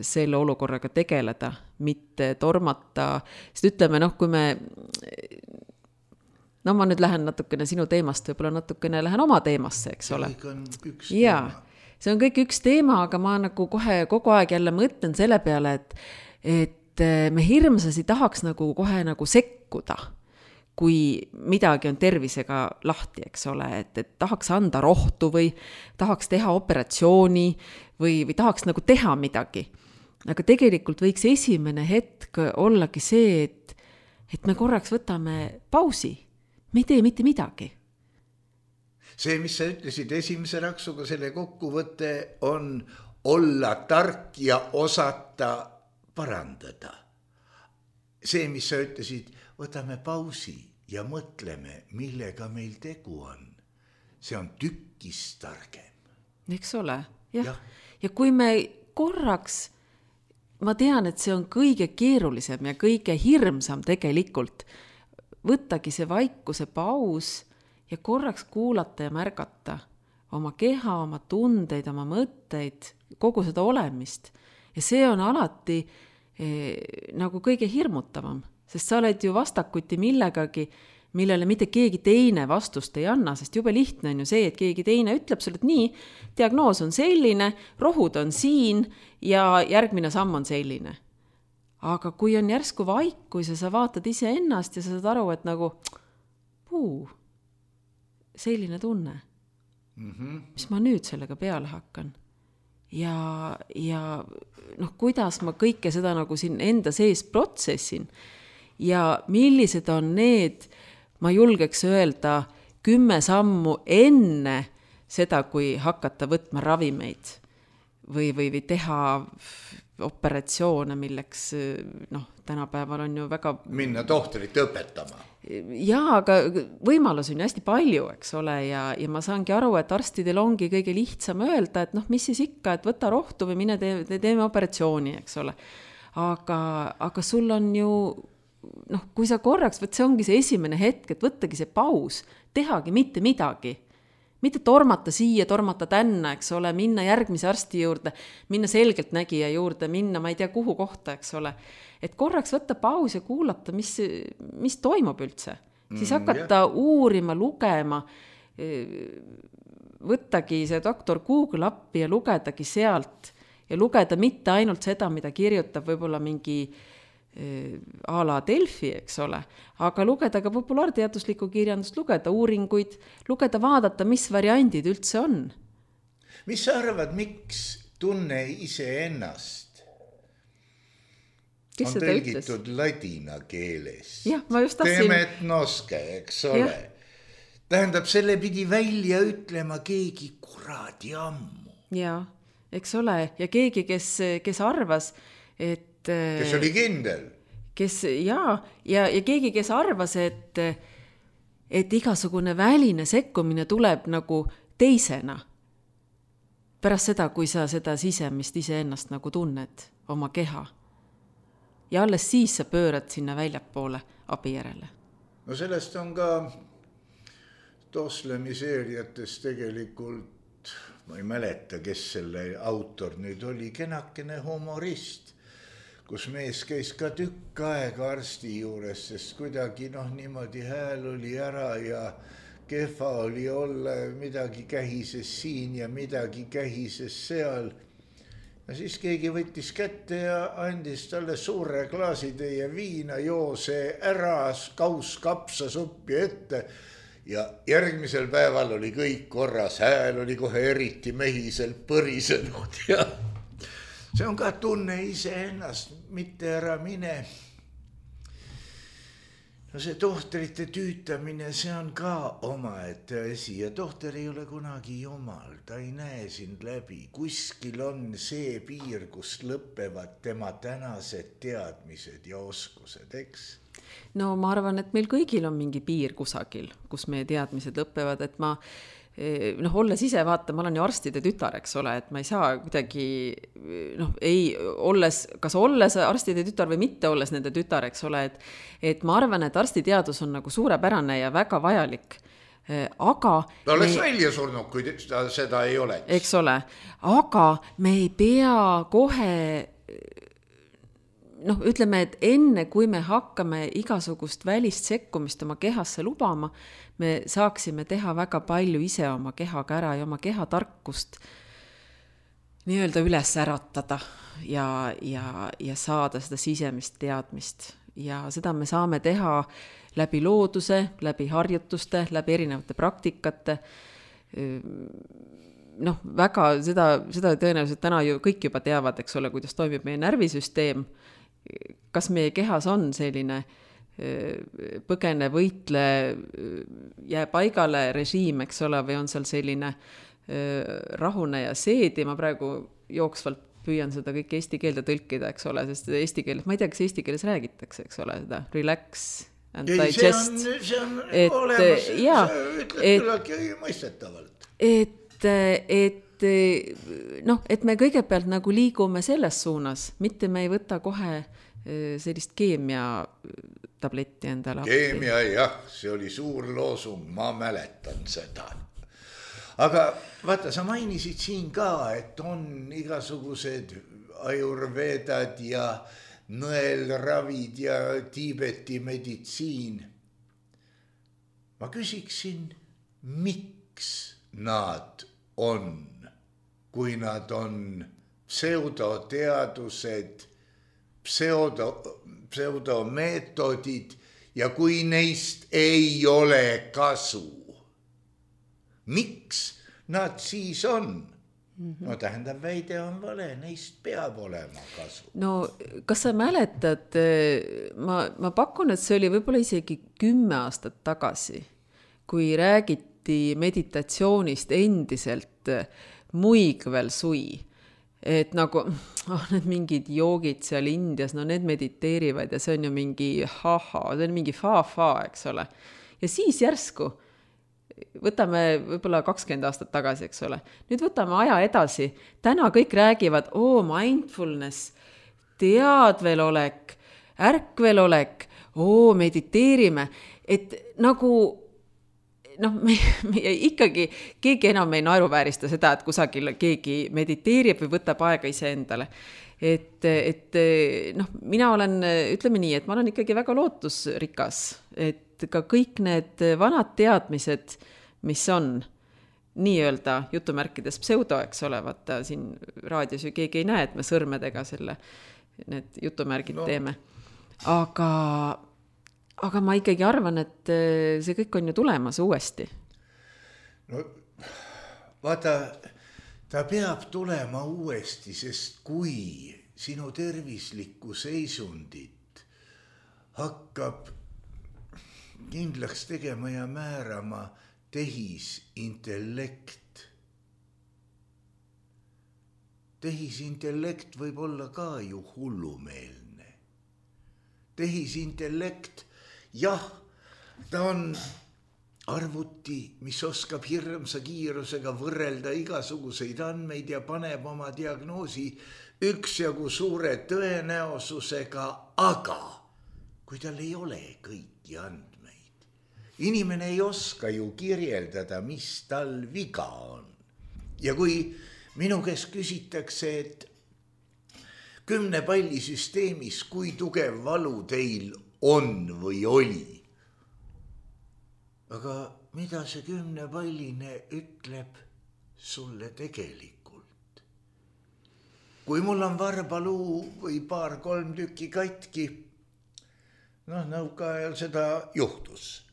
selle olukorraga tegeleda, mitte tormata. Sest ütleme, noh, kui me, no ma nüüd lähen natukene sinu teemast, võib-olla natukene lähen oma teemasse, eks ole. See on üks ja, teema. See on kõik üks teema, aga ma nagu kohe kogu aeg jälle mõtlen selle peale, et, et me hirmsasti tahaks nagu kohe nagu sekkuda, kui midagi on tervisega lahti, eks ole, et, et tahaks anda rohtu või tahaks teha operatsiooni või, või tahaks nagu teha midagi. Aga tegelikult võiks esimene hetk ollagi see, et, et me korraks võtame pausi. Me ei tee mitte midagi. See, mis sa ütlesid esimese raksuga, selle kokkuvõte on olla tark ja osata parandada. See, mis sa ütlesid, võtame pausi ja mõtleme, millega meil tegu on. See on tükkis targem. Eks ole, jah. Ja. ja kui me korraks, ma tean, et see on kõige keerulisem ja kõige hirmsam tegelikult, võttagi see vaikuse paus ja korraks kuulata ja märgata oma keha, oma tundeid, oma mõtteid, kogu seda olemist. Ja see on alati eh, nagu kõige hirmutavam, sest sa oled ju vastakuti millegagi, millele mitte keegi teine vastust ei anna, sest jube lihtne on ju see, et keegi teine ütleb sulle, et nii, diagnoos on selline, rohud on siin ja järgmine samm on selline. Aga kui on järsku vaikus ja sa vaatad ise ennast ja sa saad aru, et nagu puu, selline tunne, mm-hmm. mis ma nüüd sellega peale hakkan. Ja, ja noh, kuidas ma kõike seda nagu siin enda sees protsessin ja millised on need, ma julgeks öelda, kümme sammu enne seda, kui hakata võtma ravimeid või, või, või teha operatsioone, milleks noh, tänapäeval on ju väga... Minna tohtorit õpetama. Jaa, aga võimalus on ju hästi palju, eks ole, ja, ja ma saangi aru, et arstidel ongi kõige lihtsam öelda, et noh, mis siis ikka, et võta rohtu või mine te, te teeme operatsiooni, eks ole. Aga, aga sul on ju, noh, kui sa korraks, võt see ongi see esimene hetk, et võttagi see paus, tehagi mitte midagi. Mitte tormata siia, tormata tänna, eks ole, minna järgmise arsti juurde, minna selgelt nägija juurde, minna, ma ei tea kuhu kohta, eks ole. Et korraks võtta paus ja kuulata, mis, mis toimub üldse. Siis hakata mm, uurima, lugema, võttagi see doktor Google appi ja lugedagi sealt ja lugeda mitte ainult seda, mida kirjutab võib-olla mingi a la Delfi, eks ole, aga lugeda ka populaarteaduslikku kirjandust, lugeda uuringuid, lugeda, vaadata, mis variandid üldse on. Mis sa arvad, miks tunne ise ennast Kes on tõlgitud ütles? Ladina keeles? Jah, ma just tahtsin... Temet noske, eks ole. Ja. Tähendab, selle pidi välja ütlema keegi kuradi ammu. Ja, eks ole, ja keegi, kes, kes arvas, et kes oli kindel. Kes, ja, ja, ja keegi, kes arvas, et, et igasugune väline sekkumine tuleb nagu teisena. Pärast seda, kui sa seda sisemist iseennast nagu tunned, oma keha. Ja alles siis sa pöörad sinna väljapoole abi järele. No sellest on ka Toslemi seeriates tegelikult, ma ei mäleta, kes selle autor nüüd oli, kenakene humorist, kus mees käis ka tükk aega arsti juures, sest kuidagi noh, niimoodi hääl oli ära ja kehva oli olla, midagi kähises siin ja midagi kähises seal. Ja siis keegi võttis kätte ja andis talle suure klaasitäie viina, joo see ära, kaus kapsasuppi ette ja järgmisel päeval oli kõik korras, hääl oli kohe eriti mehiselt põrisenud ja see on ka tunne ise ennast, mitte ära mine. no see tohtrite tüütamine, see on ka omaette asi ja tohter ei ole kunagi jumal, ta ei näe sind läbi. Kuskil on see piir, kus lõppevad tema tänased teadmised ja oskused, eks? No ma arvan, et meil kõigil on mingi piir kusagil, kus meie teadmised lõppevad, et ma noh, olles ise vaata, ma olen ju arstide tütar, eks ole, et ma ei saa kuidagi noh, ei olles, kas olles arstide tütar või mitte olles nende tütar, eks ole, et, et ma arvan, et arstiteadus on nagu suurepärane ja väga vajalik, aga ta oleks me... välja surnud, kui ta, seda ei oleks. Eks ole, aga me ei pea kohe noh, ütleme, et enne kui me hakkame igasugust välist sekkumist oma kehasse lubama, me saaksime teha väga palju ise oma kehaga ära ja oma kehatarkust nii-öelda üles äratada ja, ja, ja saada seda sisemist teadmist. Ja seda me saame teha läbi looduse, läbi harjutuste, läbi erinevate praktikate. Noh, väga seda, seda tõenäoliselt täna ju kõik juba teavad, eks ole, kuidas toimib meie närvisüsteem. Kas meie kehas on selline põgene, võitle, jää paigale režiim, eks ole, või on seal selline rahune ja seedi, ma praegu jooksvalt püüan seda kõik eesti keelde tõlkida, eks ole, sest eesti keeles, ma ei tea, kas eesti keeles räägitakse, eks ole, seda relax and ei, digest. See on, see on et, olemas, ja, sa ütled küllaltki mõistetavalt. Et, et noh, et me kõigepealt nagu liigume selles suunas, mitte me ei võta kohe sellist keemia tabletti endale. Keemia, jah, see oli suur loosung, ma mäletan seda. Aga vaata, sa mainisid siin ka, et on igasugused ajurvedad ja nõelravid ja Tiibeti meditsiin. Ma küsiksin, miks nad on, kui nad on pseudoteadused, pseudo, pseudomeetodid ja kui neist ei ole kasu. Miks nad siis on? Mm-hmm. No tähendab, väide on vale, neist peab olema kasu. No kas sa mäletad, ma, ma pakun, et see oli võib-olla isegi kümme aastat tagasi, kui räägiti meditatsioonist endiselt muigvel sui. Et nagu oh, need mingid joogid seal Indias, no need mediteerivad ja see on ju mingi haha, see on mingi fa-fa, eks ole. Ja siis järsku võtame võib-olla kakskümmend aastat tagasi, eks ole. Nüüd võtame aja edasi. Täna kõik räägivad, oo, mindfulness, teadvelolek, ärkvelolek, oo, mediteerime. Et nagu, noh, me, me ikkagi, keegi enam ei naeruväärista seda, et kusagil keegi mediteerib või võtab aega ise endale. Et, et noh, mina olen, ütleme nii, et ma olen ikkagi väga lootusrikas, et ka kõik need vanad teadmised, mis on nii-öelda jutumärkides pseudo, eks ole, vaata siin raadios ju keegi ei näe, et me sõrmedega selle, need jutumärgid no. teeme. Aga, aga ma ikkagi arvan, et see kõik on ju tulemas uuesti. No vaata, ta peab tulema uuesti, sest kui sinu tervislikku seisundit hakkab kindlaks tegema ja määrama tehisintellekt. Tehisintellekt võib olla ka ju hullumeelne. Tehisintellekt, jah, ta on arvuti, mis oskab hirmsa kiirusega võrrelda igasuguseid andmeid ja paneb oma diagnoosi üksjagu suure tõenäosusega, aga kui tal ei ole kõiki andmeid, inimene ei oska ju kirjeldada, mis tal viga on. Ja kui minu käest küsitakse, et kümne palli süsteemis, kui tugev valu teil on või oli, aga mida see kümne palline ütleb sulle tegelikult? Kui mul on varbaluu või paar-kolm tükki katki, noh, nõukaajal seda juhtus.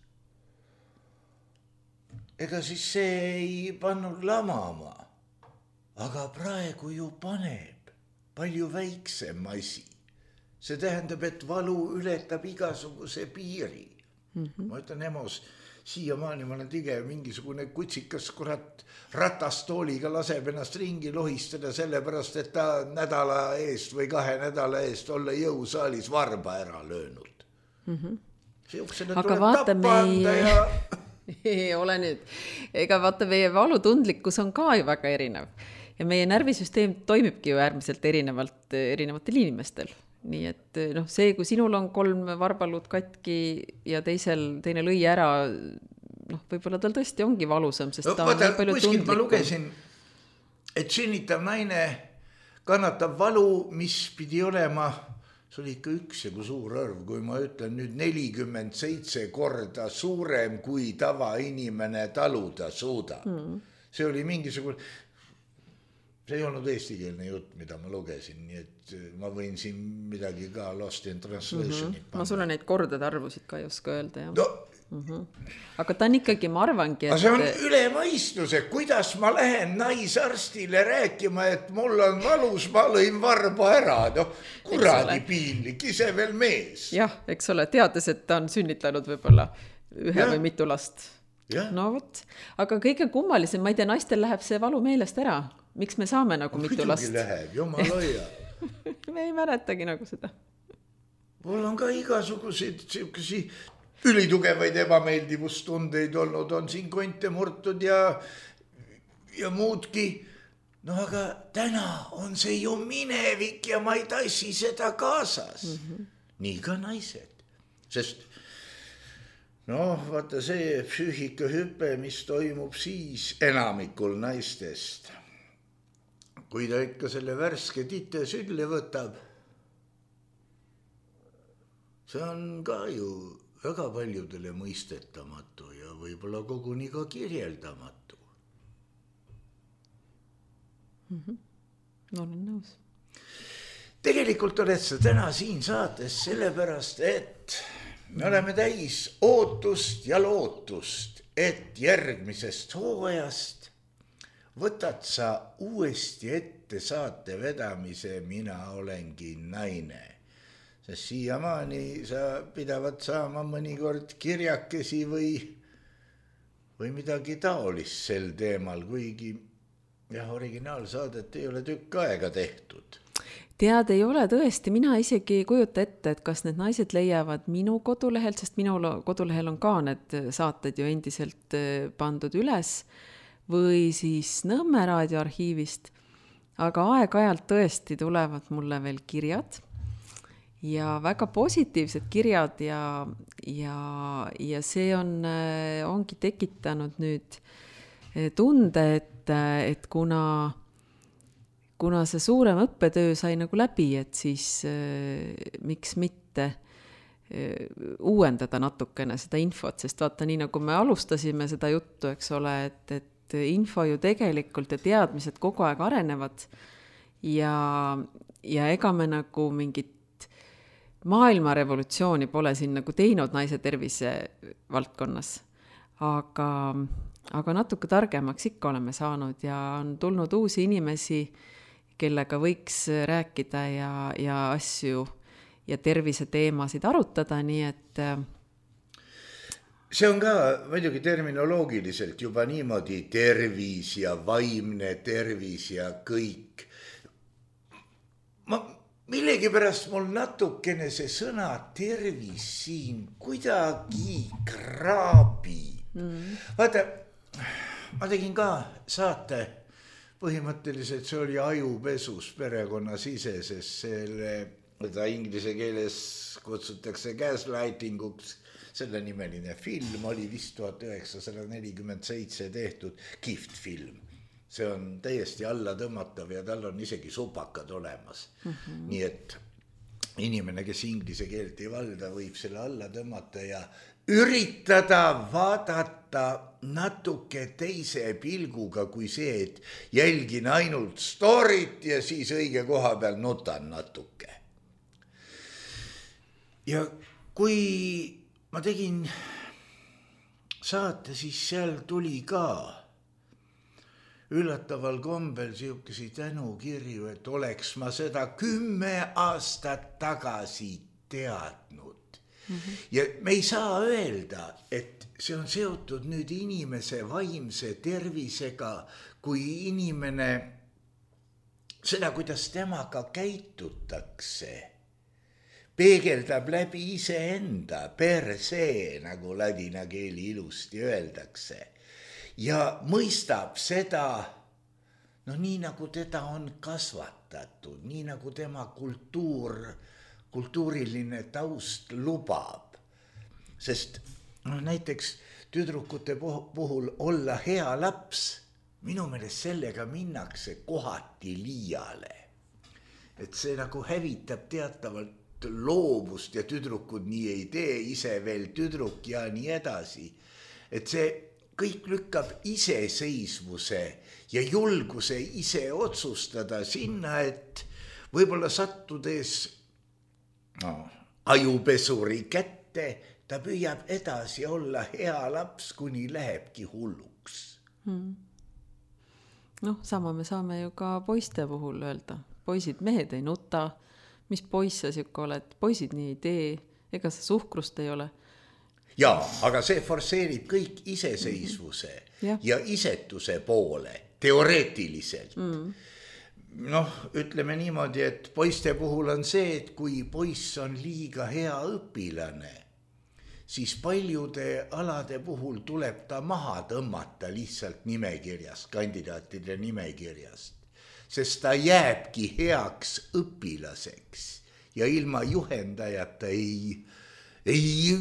Ega siis see ei pannud lamama, aga praegu ju paneb palju väiksem asi. See tähendab, et valu ületab igasuguse piiri. Mm-hmm. Ma ütlen Emos, siiamaani ma olen tige mingisugune kutsikas kurat ratastooliga laseb ennast ringi lohistada sellepärast, et ta nädala eest või kahe nädala eest olla jõusaalis varba ära löönud. Mm-hmm. Siuksele tuleb tappa anda ja... ei ole nüüd. Ega vaata, meie valutundlikkus on ka ju väga erinev. Ja meie närvisüsteem toimibki ju äärmiselt erinevalt erinevatel inimestel. Nii et noh, see, kui sinul on kolm varbalud katki ja teisel, teine lõi ära, noh, võib-olla tal tõesti ongi valusam, sest no, ta vaata, on palju tundlikum. Ma lugesin, et sünnitav naine kannatab valu, mis pidi olema, see oli ikka üks ja kui suur arv, kui ma ütlen nüüd nelikümmend seitse korda suurem, kui tavainimene taluda suuda. Mm. See oli mingisugune... See ei olnud eestikeelne jutt, mida ma lugesin, nii et ma võin siin midagi ka lost in translation'it mm-hmm. Ma sulle neid kordade arvusid ka ei oska öelda. Jah. No. Mm-hmm. Aga ta on ikkagi, ma arvangi, et... See on üle mõistuse, kuidas ma lähen naisarstile rääkima, et mul on valus, ma lõin varba ära. No, kuradi piinlik, ise veel mees. Jah, eks ole, teades, et ta on sünnitanud võib-olla ühe ja. Või mitu last. Ja. No võt. Aga kõige kummalisem, ma ei tea, naistel läheb see valu meelest ära. Miks me saame nagu mitu last? Muidugi läheb, jumal hoia. Me ei mäletagi nagu seda. Mul on ka igasuguseid siukesi ülitugevaid ebameeldivustundeid olnud, on siin konte murtud ja, ja muudki. No aga täna on see ju minevik ja ma ei tassi seda kaasas. Mm-hmm. Nii ka naised. Sest no vaata see psüühikahüpe, mis toimub siis enamikul naistest. Kui ta ikka selle värske tite sülle võtab, see on ka ju väga paljudele mõistetamatu ja võib-olla koguni ka kirjeldamatu. Mm-hmm. No olen nõus. Tegelikult oled sa täna siin saates sellepärast, et me oleme täis ootust ja lootust, et järgmisest hooajast võtad sa uuesti ette saate vedamise Mina olengi naine. Sest siiamaani sa pidavad saama mõnikord kirjakesi või, või midagi taolist sel teemal, kuigi jah, originaalsaadet ei ole tükk aega tehtud. Tead, ei ole tõesti, mina isegi ei kujuta ette, et kas need naised leiavad minu kodulehelt, sest minu kodulehel on ka need saated ju endiselt pandud üles, või siis Nõmme raadioarhiivist, aga aeg-ajalt tõesti tulevad mulle veel kirjad ja väga positiivsed kirjad ja, ja, ja see on, ongi tekitanud nüüd tunde, et, et kuna, kuna see suurem õppetöö sai nagu läbi, et siis miks mitte uuendada natukene seda infot, sest vaata nii nagu me alustasime seda juttu, eks ole, et, et info ju tegelikult ja teadmised kogu aeg arenevad ja, ja ega me nagu mingit maailmarevolutsiooni pole siin nagu teinud naise tervise valdkonnas, aga, aga natuke targemaks ikka oleme saanud ja on tulnud uusi inimesi, kellega võiks rääkida ja, ja asju ja tervise teemasid arutada, nii et see on ka muidugi terminoloogiliselt juba niimoodi tervis ja vaimne tervis ja kõik. Ma millegi pärast mul natukene see sõna tervis siin kuidagi kraabi. Mm. Vaata, ma tegin ka saate, põhimõtteliselt see oli ajupesus perekonnasiseses, selle, mida inglise keeles kutsutakse gaslightinguks. Selle nimeline film oli vist tuhat üheksasada nelikümmend seitse tehtud kihvt film. See on täiesti alla tõmmatav ja tal on isegi supakad olemas. Mm-hmm. Nii et inimene, kes inglise keelt ei valda, võib selle alla tõmmata ja üritada vaadata natuke teise pilguga kui see, et jälgin ainult storyt ja siis õige koha peal nutan natuke. Ja kui ma tegin saate, siis seal tuli ka üllataval kombel siukesi tänukirju, et oleks ma seda kümme aastat tagasi teadnud, Mm-hmm. Ja me ei saa öelda, et see on seotud nüüd inimese vaimse tervisega, kui inimene seda, kuidas temaga käitutakse, peegeldab läbi iseenda per se, nagu ladina keeli ilusti öeldakse, ja mõistab seda, no nii nagu teda on kasvatatud, nii nagu tema kultuur, kultuuriline taust lubab. Sest no, näiteks tüdrukute puhul olla hea laps, minu meelest sellega minnakse kohati liiale. Et see nagu hävitab teatavalt loovust ja tüdrukud nii ei tee, ise veel tüdruk ja nii edasi. Et see kõik lükkab iseseisvuse ja julguse ise otsustada sinna, et võib-olla sattudes no, ajupesuri kätte, ta püüab edasi olla hea laps, kuni lähebki hulluks. Hmm. Noh, sama me saame ju ka poiste puhul öelda. Poisid, mehed ei nuta, mis poiss sa siuke oled, poisid nii ei tee, ega sa suhkrust ei ole. Jaa, aga see forseerib kõik iseseisvuse mm-hmm. ja. ja isetuse poole, teoreetiliselt. Mm. Noh, ütleme niimoodi, et poiste puhul on see, et kui poiss on liiga hea õpilane, siis paljude alade puhul tuleb ta maha tõmmata lihtsalt nimekirjast, kandidaatide nimekirjast, sest ta jääbki heaks õpilaseks ja ilma juhendajata ei, ei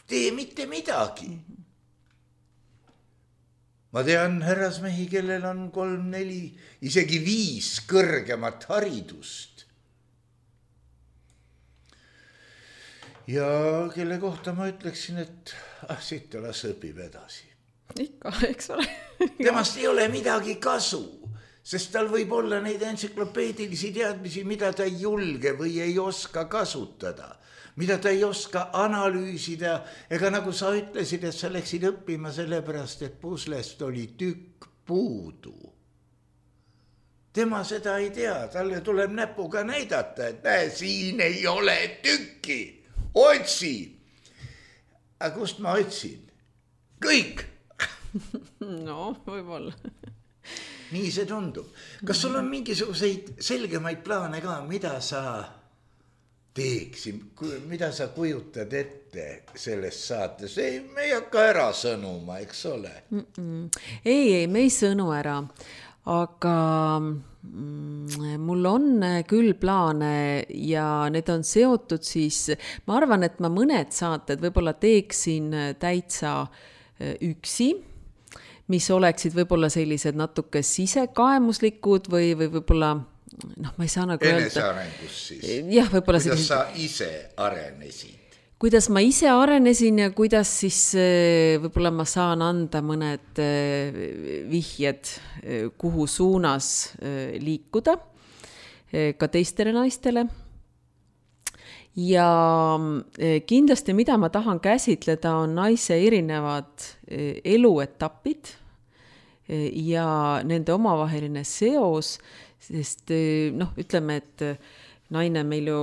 tee mitte midagi. Ma tean härrasmehi, kellel on kolm, neli, isegi viis kõrgemat haridust. Ja kelle kohta ma ütleksin, et ah, siit las õpib edasi. Ikka, eks ole. Temast ei ole midagi kasu, sest tal võib olla neid entsüklopeedilisi teadmisi, mida ta ei julge või ei oska kasutada, mida ta ei oska analüüsida, ega nagu sa ütlesid, et sa läksid õppima sellepärast, et puslest oli tükk puudu. Tema seda ei tea, talle tuleb näpuga näidata, et näe, siin ei ole tükki. Otsi. Aga kust ma otsin? Kõik. No, võib-olla. Nii see tundub. Kas sul on mingisuguseid selgemaid plaane ka, mida sa teeksid, mida sa kujutad ette selles saates? Ei, me ei hakka ära sõnuma, eks ole? Mm-mm. Ei, ei, me ei sõnu ära. Aga mm, mul on küll plaane ja need on seotud siis, ma arvan, et ma mõned saated võib-olla teeksin täitsa üksi, mis oleksid võib-olla sellised natuke sisekaemuslikud või, või võib-olla, noh, ma ei saa nagu öelda. Enesearengus siis. Jah, võib-olla kuidas sellised... sa ise arenesid? Kuidas ma ise arenesin ja kuidas siis võib-olla ma saan anda mõned vihjed, kuhu suunas liikuda ka teistele naistele. Ja kindlasti, mida ma tahan käsitleda, on naise erinevad eluetapid ja nende omavaheline seos, sest noh, ütleme, et naine meil ju,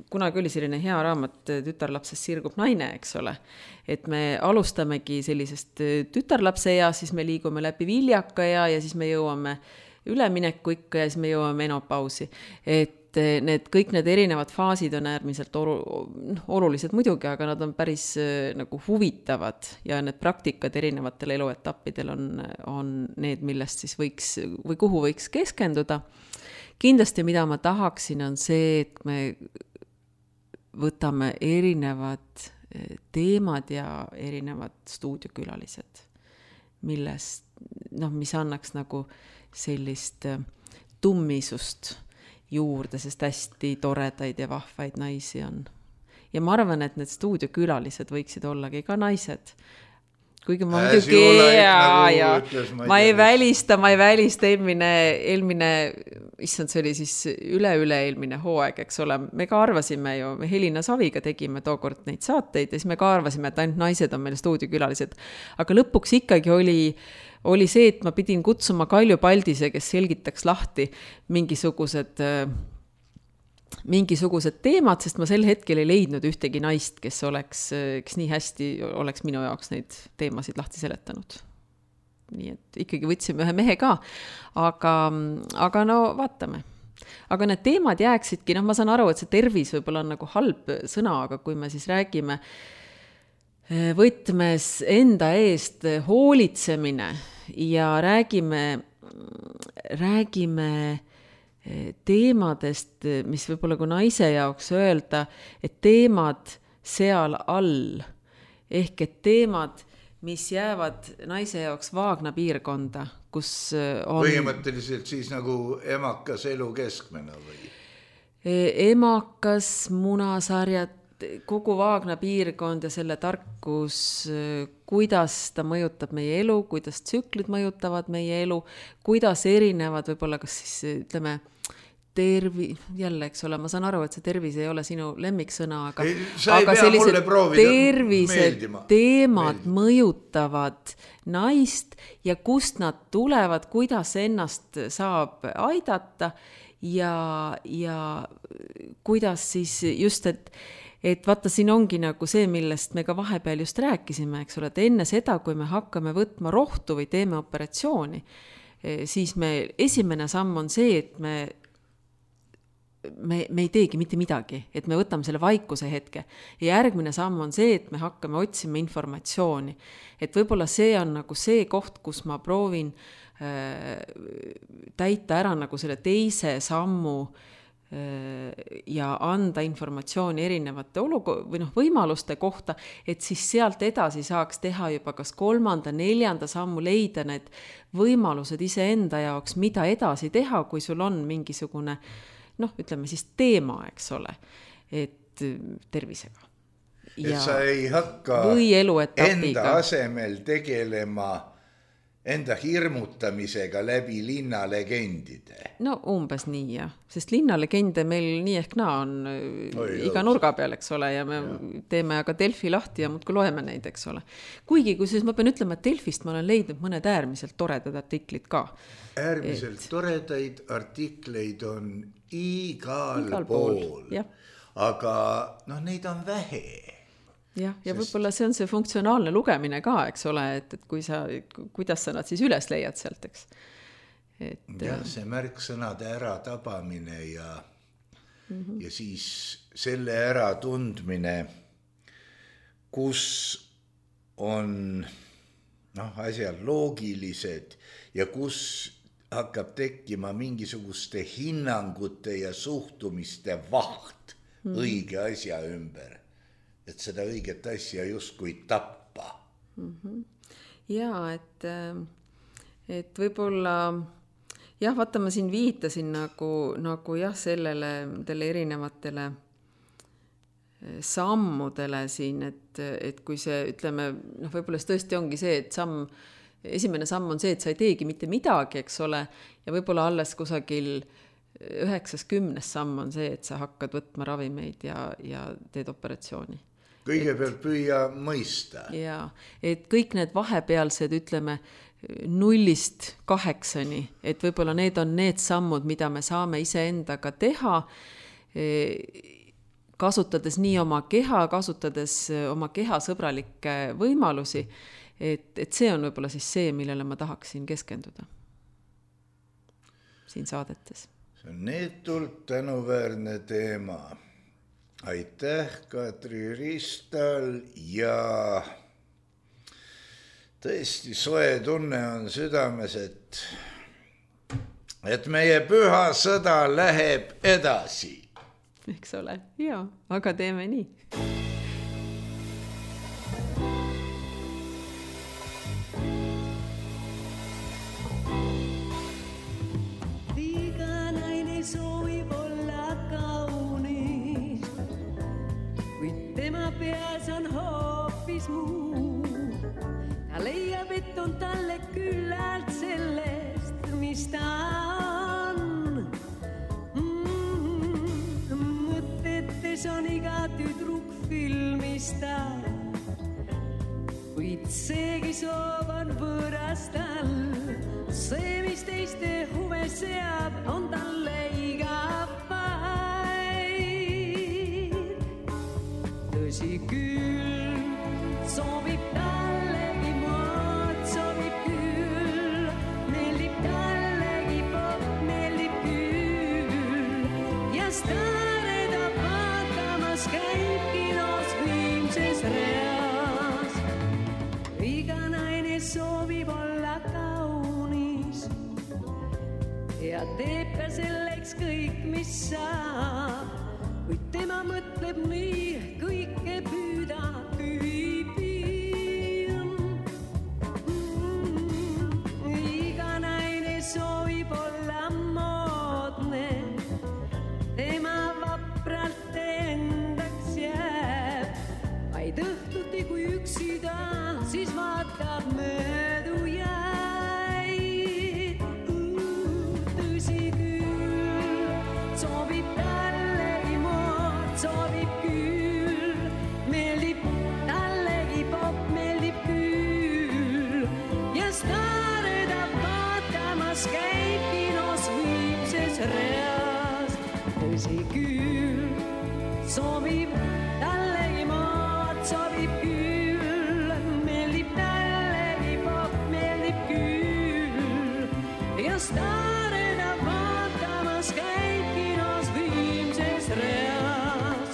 kunagi oli selline hea raamat Tütarlapsest sirgub naine, eks ole. Et me alustamegi sellisest tütarlapse ea, siis me liigume läbi viljaka ea ja siis me jõuame ülemineku ikka ja siis me jõuame menopausi. Et need, kõik need erinevad faasid on äärmiselt olulised muidugi, aga nad on päris nagu huvitavad ja need praktikad erinevatel eluetappidel on, on need, millest siis võiks või kuhu võiks keskenduda. Kindlasti, mida ma tahaksin, on see, et me võtame erinevad teemad ja erinevad stuudiokülalised, millest, noh, mis annaks nagu sellist tummisust juurde, sest hästi toredaid ja vahvaid naisi on. Ja ma arvan, et need stuudiokülalised võiksid ollagi ka naised. Kuigi ma muidugi, ja, ja ma ei välista, ma ei välista eelmine, eelmine, issand, see oli siis üle-üle eelmine hooaeg, eks ole. Me ka arvasime ju, me Helina Saviga tegime tookord neid saateid ja siis me ka arvasime, et ainult naised on meil stuudiokülalised. Aga lõpuks ikkagi oli, oli see, et ma pidin kutsuma Kalju Paldise, kes selgitaks lahti mingisugused mingisugused teemad, sest ma sel hetkel ei leidnud ühtegi naist, kes oleks, kes nii hästi oleks minu jaoks neid teemasid lahti seletanud. Nii et ikkagi võtsime ühe mehe ka, aga, aga no vaatame. Aga need teemad jääksidki, noh ma saan aru, et see tervis võib-olla on nagu halb sõna, aga kui me siis räägime võtmes enda eest hoolitsemine ja räägime, räägime teemadest, mis võib-olla kui naise jaoks öelda, et teemad seal all, ehk et teemad, mis jäävad naise jaoks Vaagna piirkonda, kus on... Põhimõtteliselt siis nagu emakas elu keskmena või? Emakas, munasarjad, kogu Vaagna piirkond ja selle tarkus, kuidas ta mõjutab meie elu, kuidas tsüklid mõjutavad meie elu, kuidas erinevad võib-olla kas siis ütleme tervi, jälle, eks ole, ma saan aru, et see tervis ei ole sinu lemmiksõna, aga, ei, aga sellised tervised teemad meeldima. Mõjutavad naist ja kust nad tulevad, kuidas ennast saab aidata ja, ja kuidas siis just, et et vaata, siin ongi nagu see, millest me ka vahepeal just rääkisime, eks ole, et enne seda, kui me hakkame võtma rohtu või teeme operatsiooni, siis me, esimene samm on see, et me, me, me ei teegi mitte midagi, et me võtame selle vaikuse hetke. Ja järgmine samm on see, et me hakkame otsima informatsiooni. Et võib-olla see on nagu see koht, kus ma proovin äh, täita ära nagu selle teise sammu ja anda informatsiooni erinevate oluko- või noh, võimaluste kohta, et siis sealt edasi saaks teha juba kas kolmanda, neljanda sammu leida need võimalused iseenda jaoks, mida edasi teha, kui sul on mingisugune, noh, ütleme siis teema, eks ole, et tervisega. Ja et sa ei hakka või eluetapiga. Enda asemel tegelema enda hirmutamisega läbi linnalegendide. No umbes nii, jah. Sest linnalegende meil nii ehk naa on Oi, iga nurga peal, eks ole, ja me ja. teeme aga Delfi lahti ja muudkui loeme neid, eks ole. Kuigi, kui siis ma pean ütlema, et Delfist ma olen leidnud mõned äärmiselt toredad artiklid ka. Äärmiselt et... toredaid artikleid on igal, igal pool, pool. Aga noh, neid on vähe. Ja, ja Sest... võib-olla see on see funktsionaalne lugemine ka, eks ole, et, et kui sa, kuidas sa nad siis üles leiad sealt, eks. Et, jah, see märksõnade ära tabamine ja, mm-hmm. ja siis selle ära tundmine, kus on noh, asjad loogilised ja kus hakkab tekkima mingisuguste hinnangute ja suhtumiste vaht mm-hmm. õige asja ümber. Et seda õiget asja justkui tappa. Mm-hmm. Ja, et, et võib-olla, jah, vaata, ma siin viitasin nagu, nagu jah, sellele, tele erinevatele sammudele siin, et, et kui see, ütleme, noh, võib-olla tõesti ongi see, et samm, esimene samm on see, et sa ei teegi mitte midagi, eks ole, ja võib-olla alles kusagil üheksas kümnes samm on see, et sa hakkad võtma ravimeid ja, ja teed operatsiooni. Kõigepealt püüa mõista. Ja, et kõik need vahepealsed, ütleme, nullist kaheksani, et võib-olla need on need sammud, mida me saame iseendaga teha, kasutades nii oma keha, kasutades oma keha sõbralikke võimalusi, et, et see on võib-olla siis see, millele ma tahaksin keskenduda siin saadetes. See on neetult tänuväärne teema. Aitäh, Katri Ristal, ja tõesti soe tunne on südames, et, et meie püha sõda läheb edasi. Eks ole, jaa, aga teeme nii. Peas on hoopis muu. Ta leiab, et on talle küllalt sellest, mis ta on. Mm-hmm. Mõtetes on iga tüdruk filmista, kuid seegi soov on võõrastal. See, mis teiste huve seab, on talle iga päev. ja staareda vaatamas käib kinos viimses reas. Iga naine soovib olla kaunis ja teeb ka selleks kõik, mis saab, kuid tema mõtleb nii kõike püüda tüübim. Mm, iga naine soovib olla moodne, tema vapralt endaks jääb, vaid õhtuti kui üksi ta, siis vaatab möödu jäid. Tõsi küll, soovib tallegi mood, soovib küll, meeldib tallegi pop, meeldib küll ja staareda vaatamas käib kinos viimses reas. Tõsi küll, soovib tallegi mood, soovib küll, meeldib tallegi pop, meeldib küll ja staareda vaatamas käib kinos viimses reas.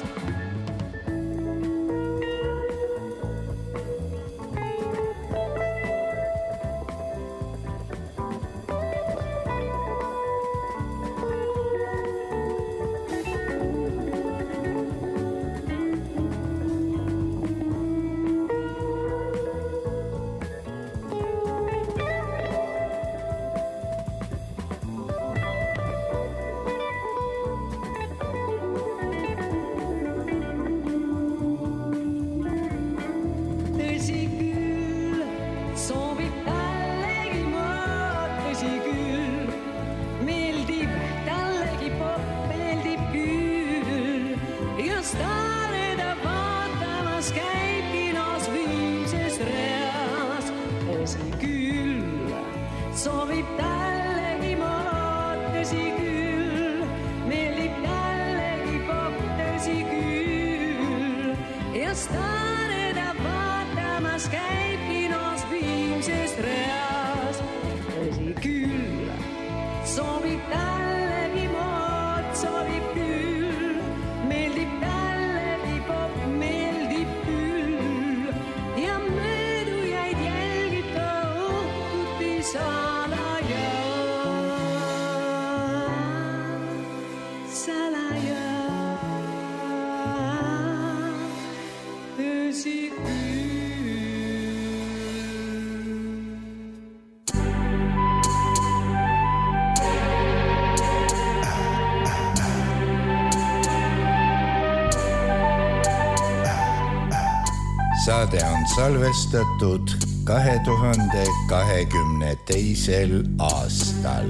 Tõsi küll, soovib tallegi mood, tõsi küll, meeldib tallegi pop, meeldib küll ja staareda vaatamas käib kinos viimses reas. Tõsi küll, soovib tallegi mood, tõsi küll, meeldib tallegi pop, tõsi küll ja staareda vaatamas käib kinos viimses reas. Tõsi küll, soovib tallegi mood, soovib küll, meeldib tallegi pop, meeldib küll ja möödujaid jälgib ta õhtuti salaja. Salaja, tõsi küll. Saade on salvestatud kahe tuhande kahekümne teisel aastal.